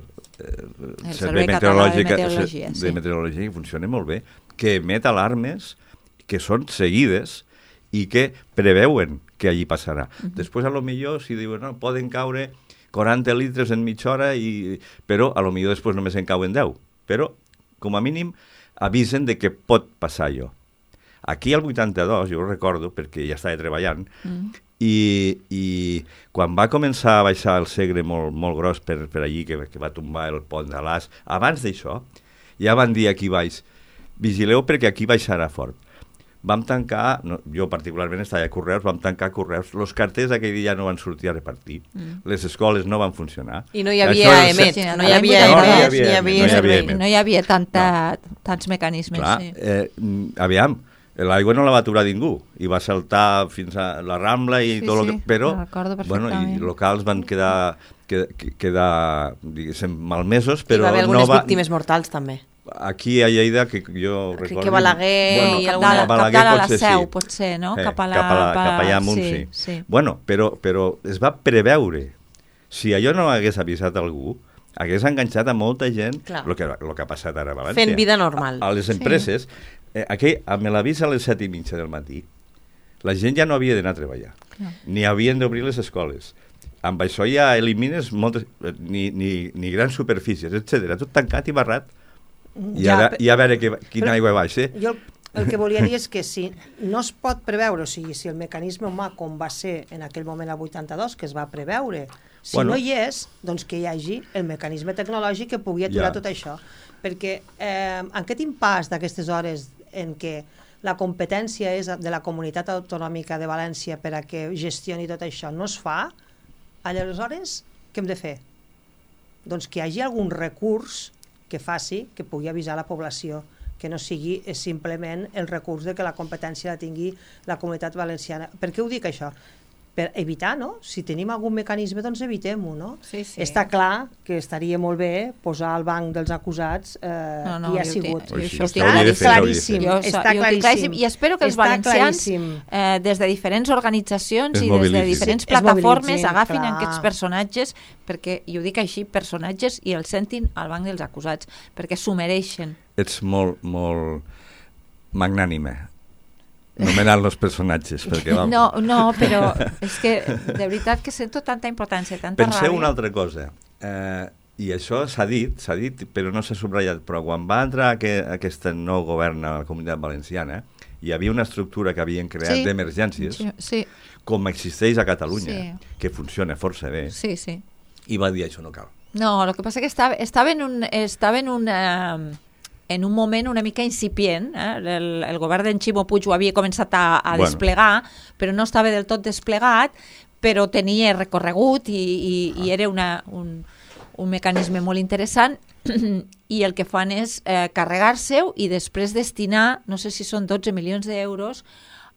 Servei Meteorològic de Meteorologia, que funciona molt bé, que emet alarmes que són seguides i que preveuen que allí passarà. Després, a lo millor, si diuen, no, poden caure 40 litres en mitja hora, però a lo millor després només en cauen 10. Però, com a mínim, avisen de que pot passar allò. Aquí al 82, jo ho recordo, perquè ja estava treballant, i quan va començar a baixar el Segre molt gros per allí, que va tombar el pont de l'As, abans d'això, ja van dir aquí baix, vigileu perquè aquí baixarà fort. Vam tancar, jo particularment estava a Correus, vam tancar Correus, els carters aquell dia no van sortir a repartir, les escoles no van funcionar. I no hi havia EMET, no hi havia tants mecanismes. Clar, aviam, l'aigua no la va aturar ningú i va saltar fins a la Rambla i tot el que... Però, bueno, i locals van quedar diguéssim, malmesos, però hi va haver algunes víctimes mortals també. Aquí a Lleida, que jo recordo... Que Balaguer i alguna... Cap a la Seu, potser, no? Cap allà amunt, sí. Bueno, però es va preveure. Si allò no hagués avisat algú, hagués enganxat a molta gent el que ha passat ara a València. Fent vida normal. A les empreses, amb l'avís a les 7:30 del matí, la gent ja no havia d'anar a treballar, ni havien d'obrir les escoles. Amb això ja elimines moltes... ni grans superfícies, etc. Tot tancat i barrat. I a veure quina aigua baixa. Jo el que volia dir és que si no es pot preveure, o sigui, si el mecanisme humà, com va ser en aquell moment al 82, que es va preveure, si no hi és, doncs que hi hagi el mecanisme tecnològic que pugui aturar tot això. Perquè en aquest impàs d'aquestes hores en què la competència és de la Comunitat Autonòmica de València per a que gestioni tot això, no es fa, aleshores, què hem de fer? Doncs que hi hagi algun recurs que faci que pugui avisar la població, que no sigui simplement el recurs de que la competència la tingui la Comunitat Valenciana. Per què ho dic això? Per evitar, no? Si tenim algun mecanisme, doncs evitem-ho, no? Sí. Està clar que estaria molt bé posar al banc dels acusats qui ha sigut. Està claríssim. Està claríssim. I espero que els valencians, des de diferents organitzacions i des de diferents plataformes, agafin aquests personatges, perquè, i ho dic així, personatges, i els sentin al banc dels acusats, perquè s'ho mereixen. Ets molt magnànime nomenant els personatges, perquè no, però és que de veritat que sento tanta importància, tanta ràbia. Penseu una altra cosa, i això s'ha dit, però no s'ha subratllat, però quan va entrar aquest nou govern a la Comunitat Valenciana, hi havia una estructura que havien creat d'emergències, sí, com existeix a Catalunya, que funciona força bé, i va dir això no cal. No, el que passa que estava en un moment una mica incipient, el govern d'en Ximo Puig ho havia començat a desplegar, però no estava del tot desplegat, però tenia recorregut i era un mecanisme molt interessant, i el que fan és carregar-se-ho i després destinar, no sé si són 12 milions d'euros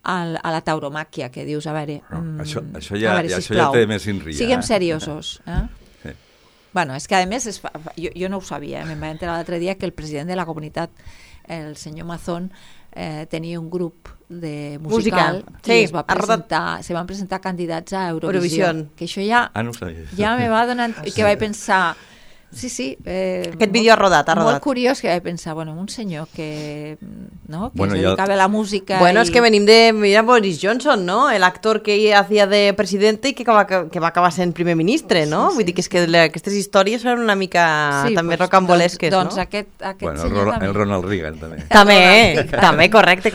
a la tauromàquia, que dius, a veure... Això ja té més inria. Siguem seriosos. Bueno, és que a més, jo no ho sabia, me'n vaig enterar l'altre dia que el president de la comunitat, el senyor Mazón, tenia un grup de musical i se van presentar candidats a Eurovisió. Que això ja me va donar... que vaig pensar... Sí. Aquest vídeo ha rodat. Molt curiós, que vaig pensar, un senyor que es dedicava a la música... És que venim de Boris Johnson, ¿no? El actor que hacía de presidente i que va acabar sent primer ministre, ¿no? Vull dir que és que aquestes històries són una mica també rocambolesques, no? Doncs aquest senyor també. El Ronald Reagan, també. També, correcte.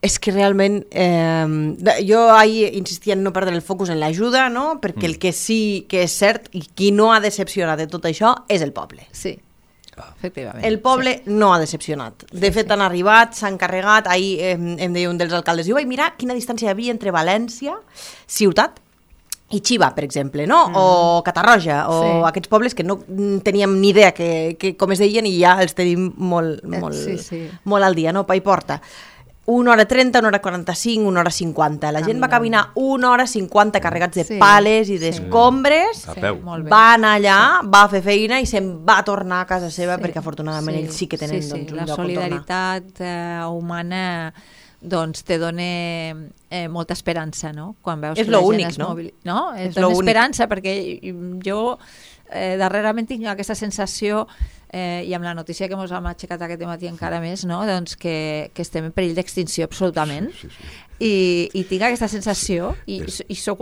És que realment jo ahir insistia en no perdre el focus en l'ajuda, no? Perquè el que sí que és cert i qui no ha decepcionat de tot això és el poble. Sí, efectivament. El poble no ha decepcionat. De fet, han arribat, s'han carregat. Ahir em deia un dels alcaldes, diu, mira quina distància hi havia entre València, ciutat, i Xiva, per exemple, no? O Catarroja, o aquests pobles que no teníem ni idea que com es deien i ja els tenim molt al dia, no? Pa i porta. 1 hora 30, 1 hora 45, 1 hora 50. La gent va caminar 1 hora 50 carregats de pales i d'escombres. A peu. Va anar allà, va fer feina i se'n va tornar a casa seva perquè afortunadament ells sí que tenen un lloc on tornar. La solidaritat humana doncs te dona molta esperança, no? Quan veus que la gent es mobilitza. No? Et dona esperança perquè jo darrerament tinc aquesta sensació i amb la notícia que ens hem aixecat aquest matí encara més, no? Doncs que estem en perill d'extinció absolutament. I tinc aquesta sensació i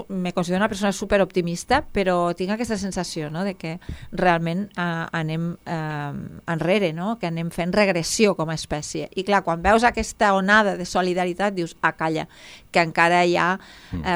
me considero una persona superoptimista, però tinc aquesta sensació, no? De que realment anem enrere, no? Que anem fent regressió com a espècie. I clar, quan veus aquesta onada de solidaritat dius, calla, que encara hi ha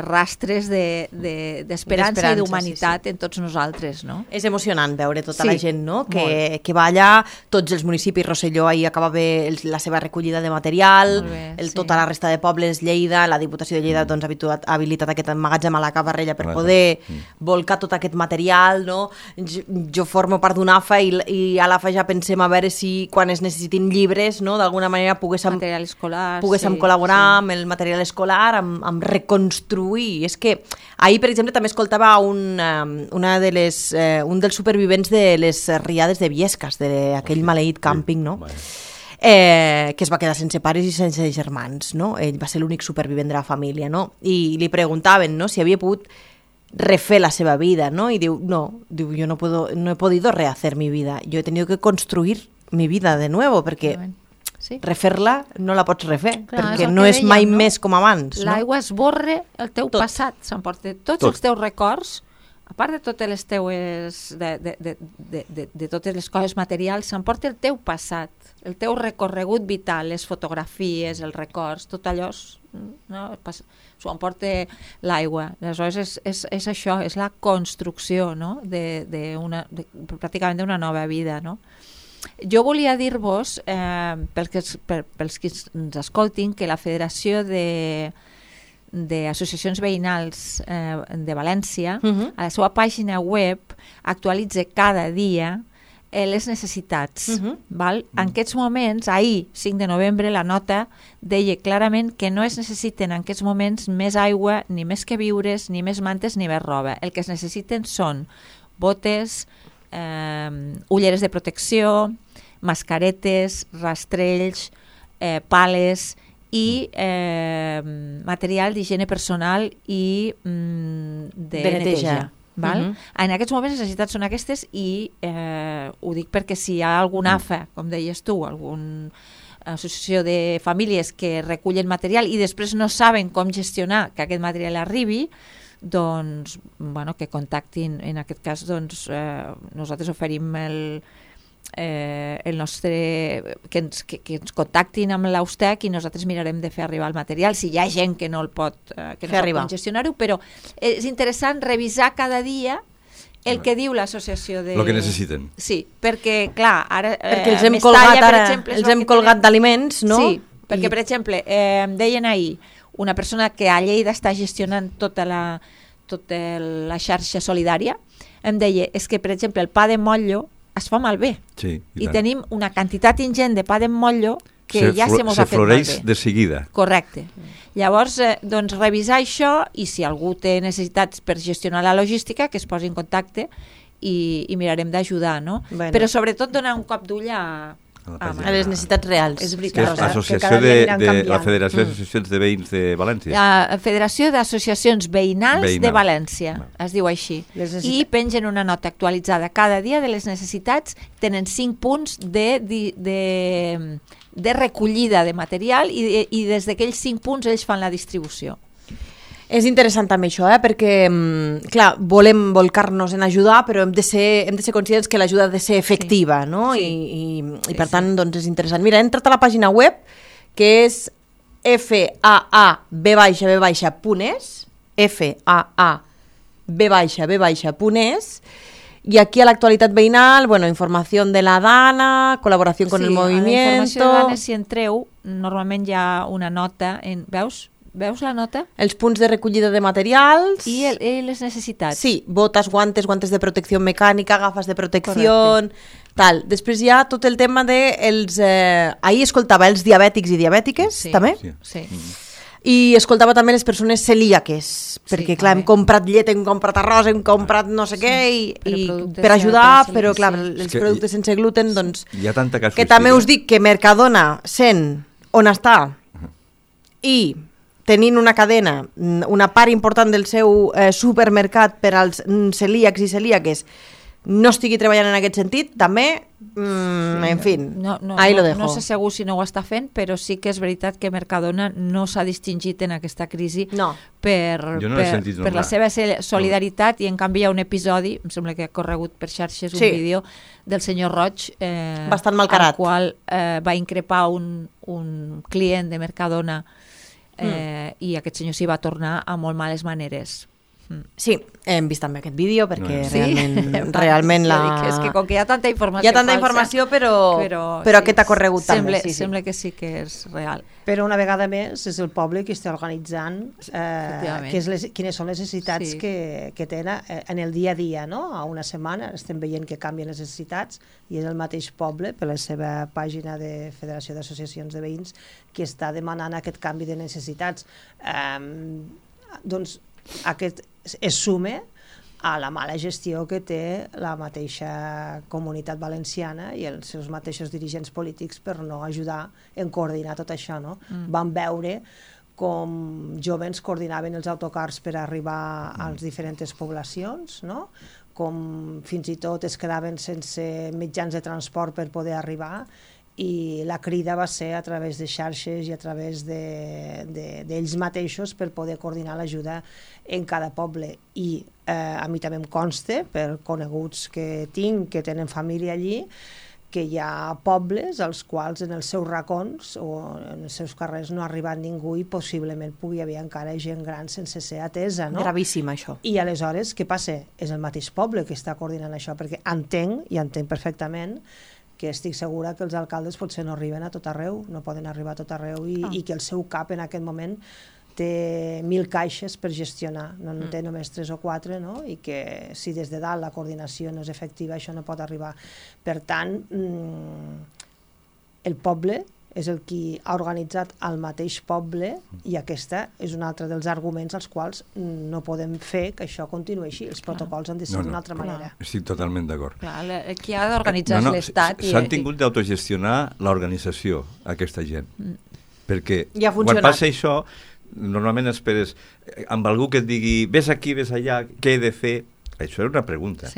rastres d'esperança i d'humanitat en tots nosaltres, no? És emocionant veure tota la gent, no? Que va allà, tots els municipis, Rosselló ahir acabava la seva recollida de material, tota la resta de pobles, Lleida, la Diputació de Lleida doncs, ha habilitat aquest magatzem a la Cabarrella per poder volcar tot aquest material, no? Jo formo part d'un AFA i a l'AFA ja pensem a veure si quan es necessitin llibres, no? D'alguna manera poguéssim col·laborar amb el material escolar, amb reconstruir. És que ahir, per exemple, també escoltava un dels supervivents de les riades de Viescas, d'aquell maleït càmping, no? Que es va quedar sense pares i sense germans, no? Ell va ser l'únic supervivent de la família, no? I li preguntaven, no?, si havia pogut refer la seva vida, no? I diu, yo no he podido rehacer mi vida, yo he tenido que construir mi vida de nuevo, perquè refer-la no la pots refer, perquè no és mai més com abans. L'aigua esborra el teu passat, s'emporta tots els teus records, a part de totes les teues de totes les coses materials, s'emporta el teu passat, el teu recorregut vital, les fotografies, els records, tot allò s'ho emporta l'aigua. Aleshores és això, és la construcció, no? Pràcticament d'una nova vida, no? Jo volia dir-vos, pels que ens escoltin, que la Federació d'Associacions Veïnals de València, a la seva pàgina web, actualitza cada dia les necessitats. Val? En aquests moments, ahir, 5 de novembre, la nota deia clarament que no es necessiten en aquests moments més aigua, ni més queviures, ni més mantes, ni més roba. El que es necessiten són botes, ulleres de protecció, mascaretes, rastrells, pales i material d'higiene personal i de neteja. Val? En aquests moments les necessitats són aquestes i ho dic perquè si hi ha algun AFA, com deies tu, alguna associació de famílies que recullen material i després no saben com gestionar que aquest material arribi, doncs, que contactin. En aquest cas, doncs, nosaltres oferim el nostre, que ens contactin amb l'Austec i nosaltres mirarem de fer arribar el material, si hi ha gent que no el pot, que no pot gestionar-ho, però és interessant revisar cada dia el que diu l'associació de... El que necessiten. Sí, perquè, clar, ara... Perquè els hem colgat, ara, els hem colgat d'aliments, no? Sí, perquè, per exemple, em deien ahir, una persona que a Lleida està gestionant tota la xarxa solidària, em deia, és que, per exemple, el pa de motllo es fa malbé. Sí, i tenim una quantitat ingent de pa de motllo que ja se mos ha fet floreix malbé. De seguida. Correcte. Llavors, doncs, revisar això i si algú té necessitats per gestionar la logística, que es posi en contacte i mirarem d'ajudar, no? Bueno. Però sobretot donar un cop d'ull a les necessitats reals. És veritat. L'associació la Federació d'Associacions de Veïns de València. La Federació d'Associacions Veïnals de València, es diu així. I pengen una nota actualitzada cada dia de les necessitats, tenen 5 punts de recollida de material i des d'aquells 5 punts ells fan la distribució. És interessant també això, perquè, clar, volem volcar-nos en ajudar, però hem de ser conscients que l'ajuda ha de ser efectiva, no? I per tant, doncs, és interessant. Mira, he entrat a la pàgina web, que és faab.es, faab.es, y aquí a la actualitat veïnal, bueno, información de la DANA, colaboración con el movimiento... Sí, a la informació de DANA, si entreu, normalment hi ha una nota, Veus la nota? Els punts de recollida de materials. I les necessitats. Sí, botes, guantes de protecció mecànica, gafes de protecció, tal. Després hi ha tot el tema de... ahir escoltava els diabètics i diabètiques, també. Sí. I escoltava també les persones celíaques, perquè, clar, hem comprat llet, hem comprat arròs, hem comprat no sé què, i per ajudar, però, clar, els productes sense gluten, doncs... Hi ha tanta casuística. Que també us dic que Mercadona, sent on està, i tenint una cadena, una part important del seu supermercat per als celíacs i celíaques, no estigui treballant en aquest sentit, també, en fi, ahí lo dejo. No sé segur si no ho està fent, però sí que és veritat que Mercadona no s'ha distingit en aquesta crisi per la seva solidaritat, i en canvi hi ha un episodi, em sembla que ha corregut per xarxes un vídeo del senyor Roig, bastant malcarat, al qual va increpar un client de Mercadona, i aquest senyor s'hi va tornar a molt males maneres. Sí, hem vist també aquest vídeo perquè realment és que com que hi ha tanta informació hi ha tanta informació, però aquest ha corregut també. Sembla que sí que és real. Però una vegada més és el poble que està organitzant quines són les necessitats que tenen en el dia a dia, no? A una setmana estem veient que canvien les necessitats i és el mateix poble, per la seva pàgina de Federació d'Associacions de Veïns, que està demanant aquest canvi de necessitats. Doncs aquest es sume a la mala gestió que té la mateixa comunitat valenciana i els seus mateixos dirigents polítics per no ajudar en coordinar tot això, no? Vam veure com joves coordinaven els autocars per arribar a les diferents poblacions, no? Com fins i tot es quedaven sense mitjans de transport per poder arribar, i la crida va ser a través de xarxes i a través d'ells mateixos per poder coordinar l'ajuda en cada poble. I a mi també em consta, per coneguts que tinc, que tenen família allí, que hi ha pobles als quals en els seus racons o en els seus carrers no ha arribat ningú i possiblement pugui haver encara gent gran sense ser atesa, no? Gravíssim, això. I aleshores, què passa? És el mateix poble que està coordinant això, perquè entenc perfectament que estic segura que els alcaldes potser no arriben a tot arreu, no poden arribar a tot arreu, i que el seu cap en aquest moment té 1.000 caixes per gestionar, no en té només 3 o 4, no? I que si des de dalt la coordinació no és efectiva, això no pot arribar. Per tant, el poble és el qui ha organitzat el mateix poble, i aquesta és un altre dels arguments als quals no podem fer que això continuï així. Els protocols han de ser d'una altra manera. Estic totalment d'acord. Qui ha d'organitzar és l'Estat. S'han tingut d'autogestionar l'organització, aquesta gent. Perquè quan passa això, normalment esperes amb algú que et digui ves aquí, ves allà, què he de fer? Això era una pregunta.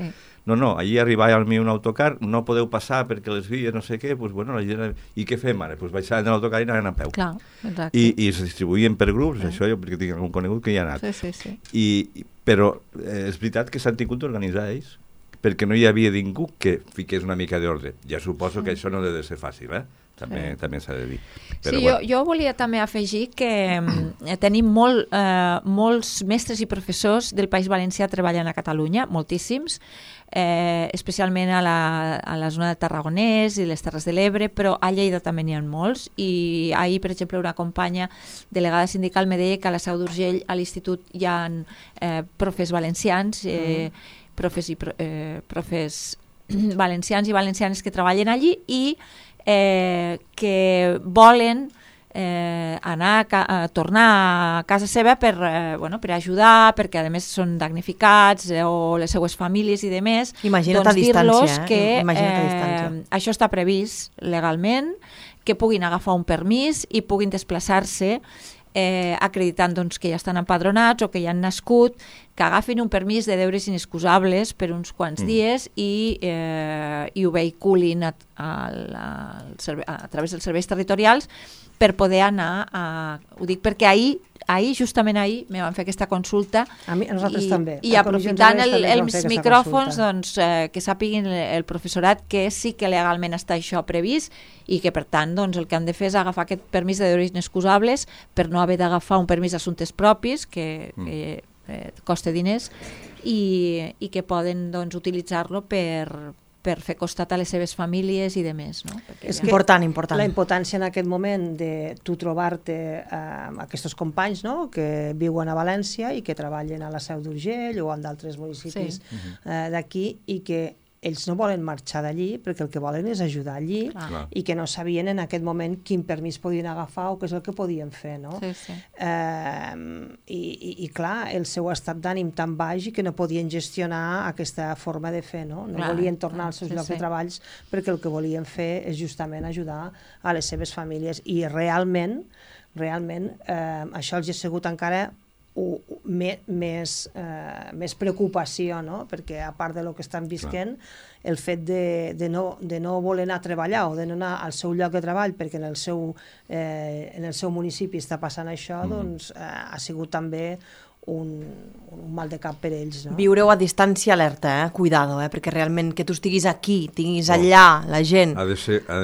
No, allí arribava al meu un autocar, no podeu passar perquè les vies no sé què, doncs bueno, la gent... I què fem ara? Doncs baixar en l'autocar i anar a peu. Clar, exacte. I es distribuïen per grups, això jo perquè tinc algun conegut que hi ha anat. Sí. Però és veritat que s'han tingut d'organitzar ells, perquè no hi havia ningú que fiqués una mica d'ordre. Ja suposo que això no ha de ser fàcil, també s'ha de dir. Però, sí, jo volia també afegir que tenim molts mestres i professors del País Valencià treballant a Catalunya, moltíssims, especialment a la zona de Tarragonès i les Terres de l'Ebre, però a Lleida també n'hi ha molts, i ahir, per exemple, una companya delegada sindical me deia que a la Seu d'Urgell, a l'institut, hi ha profes valencians, profes valencians i valencianes que treballen allí i que volen tornar a casa seva per ajudar, perquè a més són damnificats o les seues famílies i demés. Imagina't doncs a distància, que això està previst legalment, que puguin agafar un permís i puguin desplaçar-se acreditant que ja estan empadronats o que ja han nascut, que agafin un permís de deures inexcusables per uns quants dies i ho vehiculin a través dels serveis territorials per poder anar ho dic perquè justament ahir me van fer aquesta consulta a nosaltres també. I aprofitant els micròfons que sàpiguin el professorat que sí que legalment està això previst i que per tant el que han de fer és agafar aquest permís de deures inexcusables per no haver d'agafar un permís d'assumptes propis que costa diners i que poden utilitzar-lo per fer costat a les seves famílies i demés. No? És important. La impotència en aquest moment de tu trobar-te amb aquests companys que viuen a València i que treballen a la Seu d'Urgell o en d'altres municipis d'aquí i que ells no volen marxar d'allí perquè el que volen és ajudar allí i que no sabien en aquest moment quin permís podien agafar o què és el que podien fer. No? I clar, el seu estat d'ànim tan baix i que no podien gestionar aquesta forma de fer. No volien tornar als seus llocs de treballs perquè el que volien fer és justament ajudar a les seves famílies i realment això els ha sigut encara més preocupació, no? Perquè a part de lo que estan visquent, el fet de no voler anar a treballar o de no anar al seu lloc de treball perquè en el seu municipi està passant això, doncs ha sigut també un mal de cap per ells. No? Viureu a distància alerta, cuidado, perquè realment que tu estiguis aquí, tinguis allà la gent... Ha de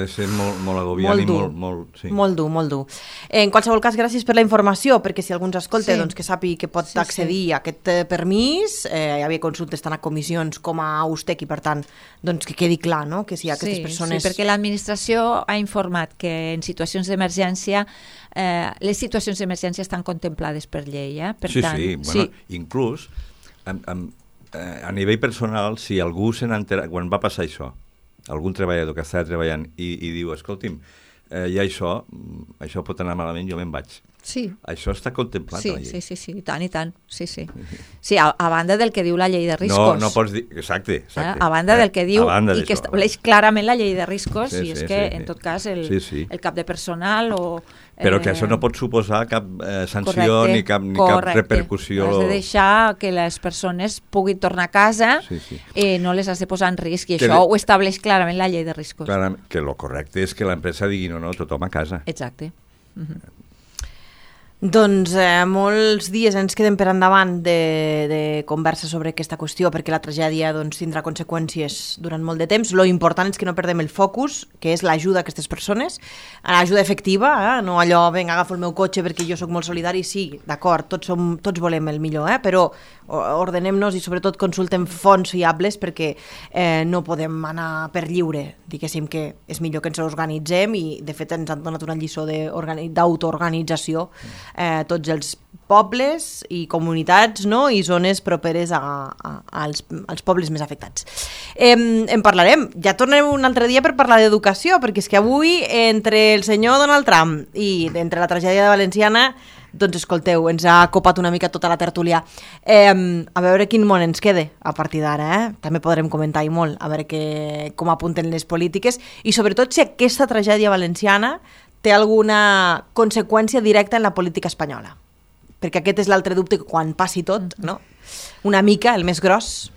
ser molt agobiant i molt... Sí. Molt dur. En qualsevol cas, gràcies per la informació, perquè si algú ens escolta, doncs que sàpiga que pot accedir a aquest permís, hi havia consultes tant a comissions com a Austec i per tant, doncs que quedi clar, no? Que si aquestes persones... Sí, perquè l'administració ha informat que en situacions d'emergència les situacions d'emergència estan contemplades per llei, per tant... Inclús a nivell personal, si algú se n'entera, quan va passar això, algun treballador que estava treballant i diu, escolti'm, hi ha això pot anar malament, jo me'n vaig. Sí. Això està contemplat a la llei. Sí, i tant. Sí, a banda del que diu la llei de riscos. No pots dir... Exacte. A banda del que diu i que estableix clarament la llei de riscos, i és que, en tot cas, el cap de personal o... Però que això no pot suposar cap sanció ni cap repercussió. Has de deixar que les persones puguin tornar a casa i no les has de posar en risc, i això ho estableix clarament la llei de riscos. Clarament, que el correcte és que l'empresa digui no, tothom a casa. Exacte. Doncs molts dies ens queden per endavant de conversa sobre aquesta qüestió perquè la tragèdia tindrà conseqüències durant molt de temps. Lo important és que no perdem el focus, que és l'ajuda a aquestes persones, l'ajuda efectiva, no allò, vinga, agafo el meu cotxe perquè jo sóc molt solidari, sí, d'acord, tots volem el millor, però ordenem-nos i sobretot consultem fonts fiables perquè no podem anar per lliure, diguéssim que és millor que ens organitzem i de fet ens han donat una lliçó d'autoorganització tots els pobles i comunitats, no? I zones properes als pobles més afectats. En parlarem, ja tornarem un altre dia per parlar d'educació, perquè és que avui entre el senyor Donald Trump i entre la tragèdia valenciana, doncs escolteu, ens ha copat una mica tota la tertúlia. A veure quin món ens quede a partir d'ara, també podrem comentar i molt, a veure com apunten les polítiques i sobretot si aquesta tragèdia valenciana té alguna conseqüència directa en la política espanyola. Perquè aquest és l'altre dubte que quan passi tot, no? Una mica, el més gros,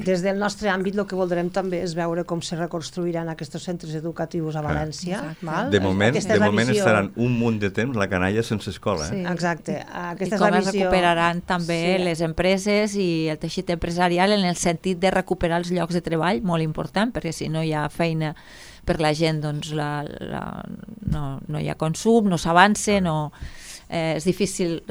Des del nostre àmbit el que voldrem també és veure com se reconstruiran aquests centres educatius a València. Val? De moment estaran un munt de temps la canalla sense escola. Sí. Exacte. I com es recuperaran també les empreses i el teixit empresarial en el sentit de recuperar els llocs de treball, molt important, perquè si no hi ha feina per la gent, doncs no hi ha consum, no s'avança, és difícil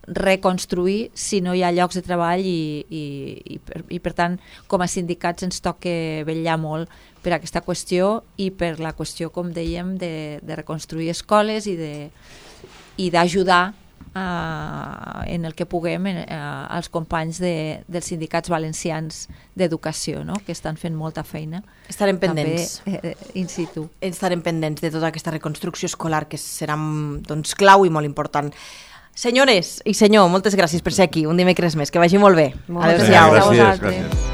reconstruir si no hi ha llocs de treball i per tant, com a sindicats ens toca vetllar molt per aquesta qüestió i per la qüestió, com dèiem, de reconstruir escoles i d'ajudar en el que puguem als companys dels sindicats valencians d'educació, no? Que estan fent molta feina. Estarem pendents. També in situ. Estarem pendents de tota aquesta reconstrucció escolar que serà clau i molt important. Senyores i senyor, moltes gràcies per ser aquí un dimecres més. Que vagi molt bé. Adéu-siau. Gràcies.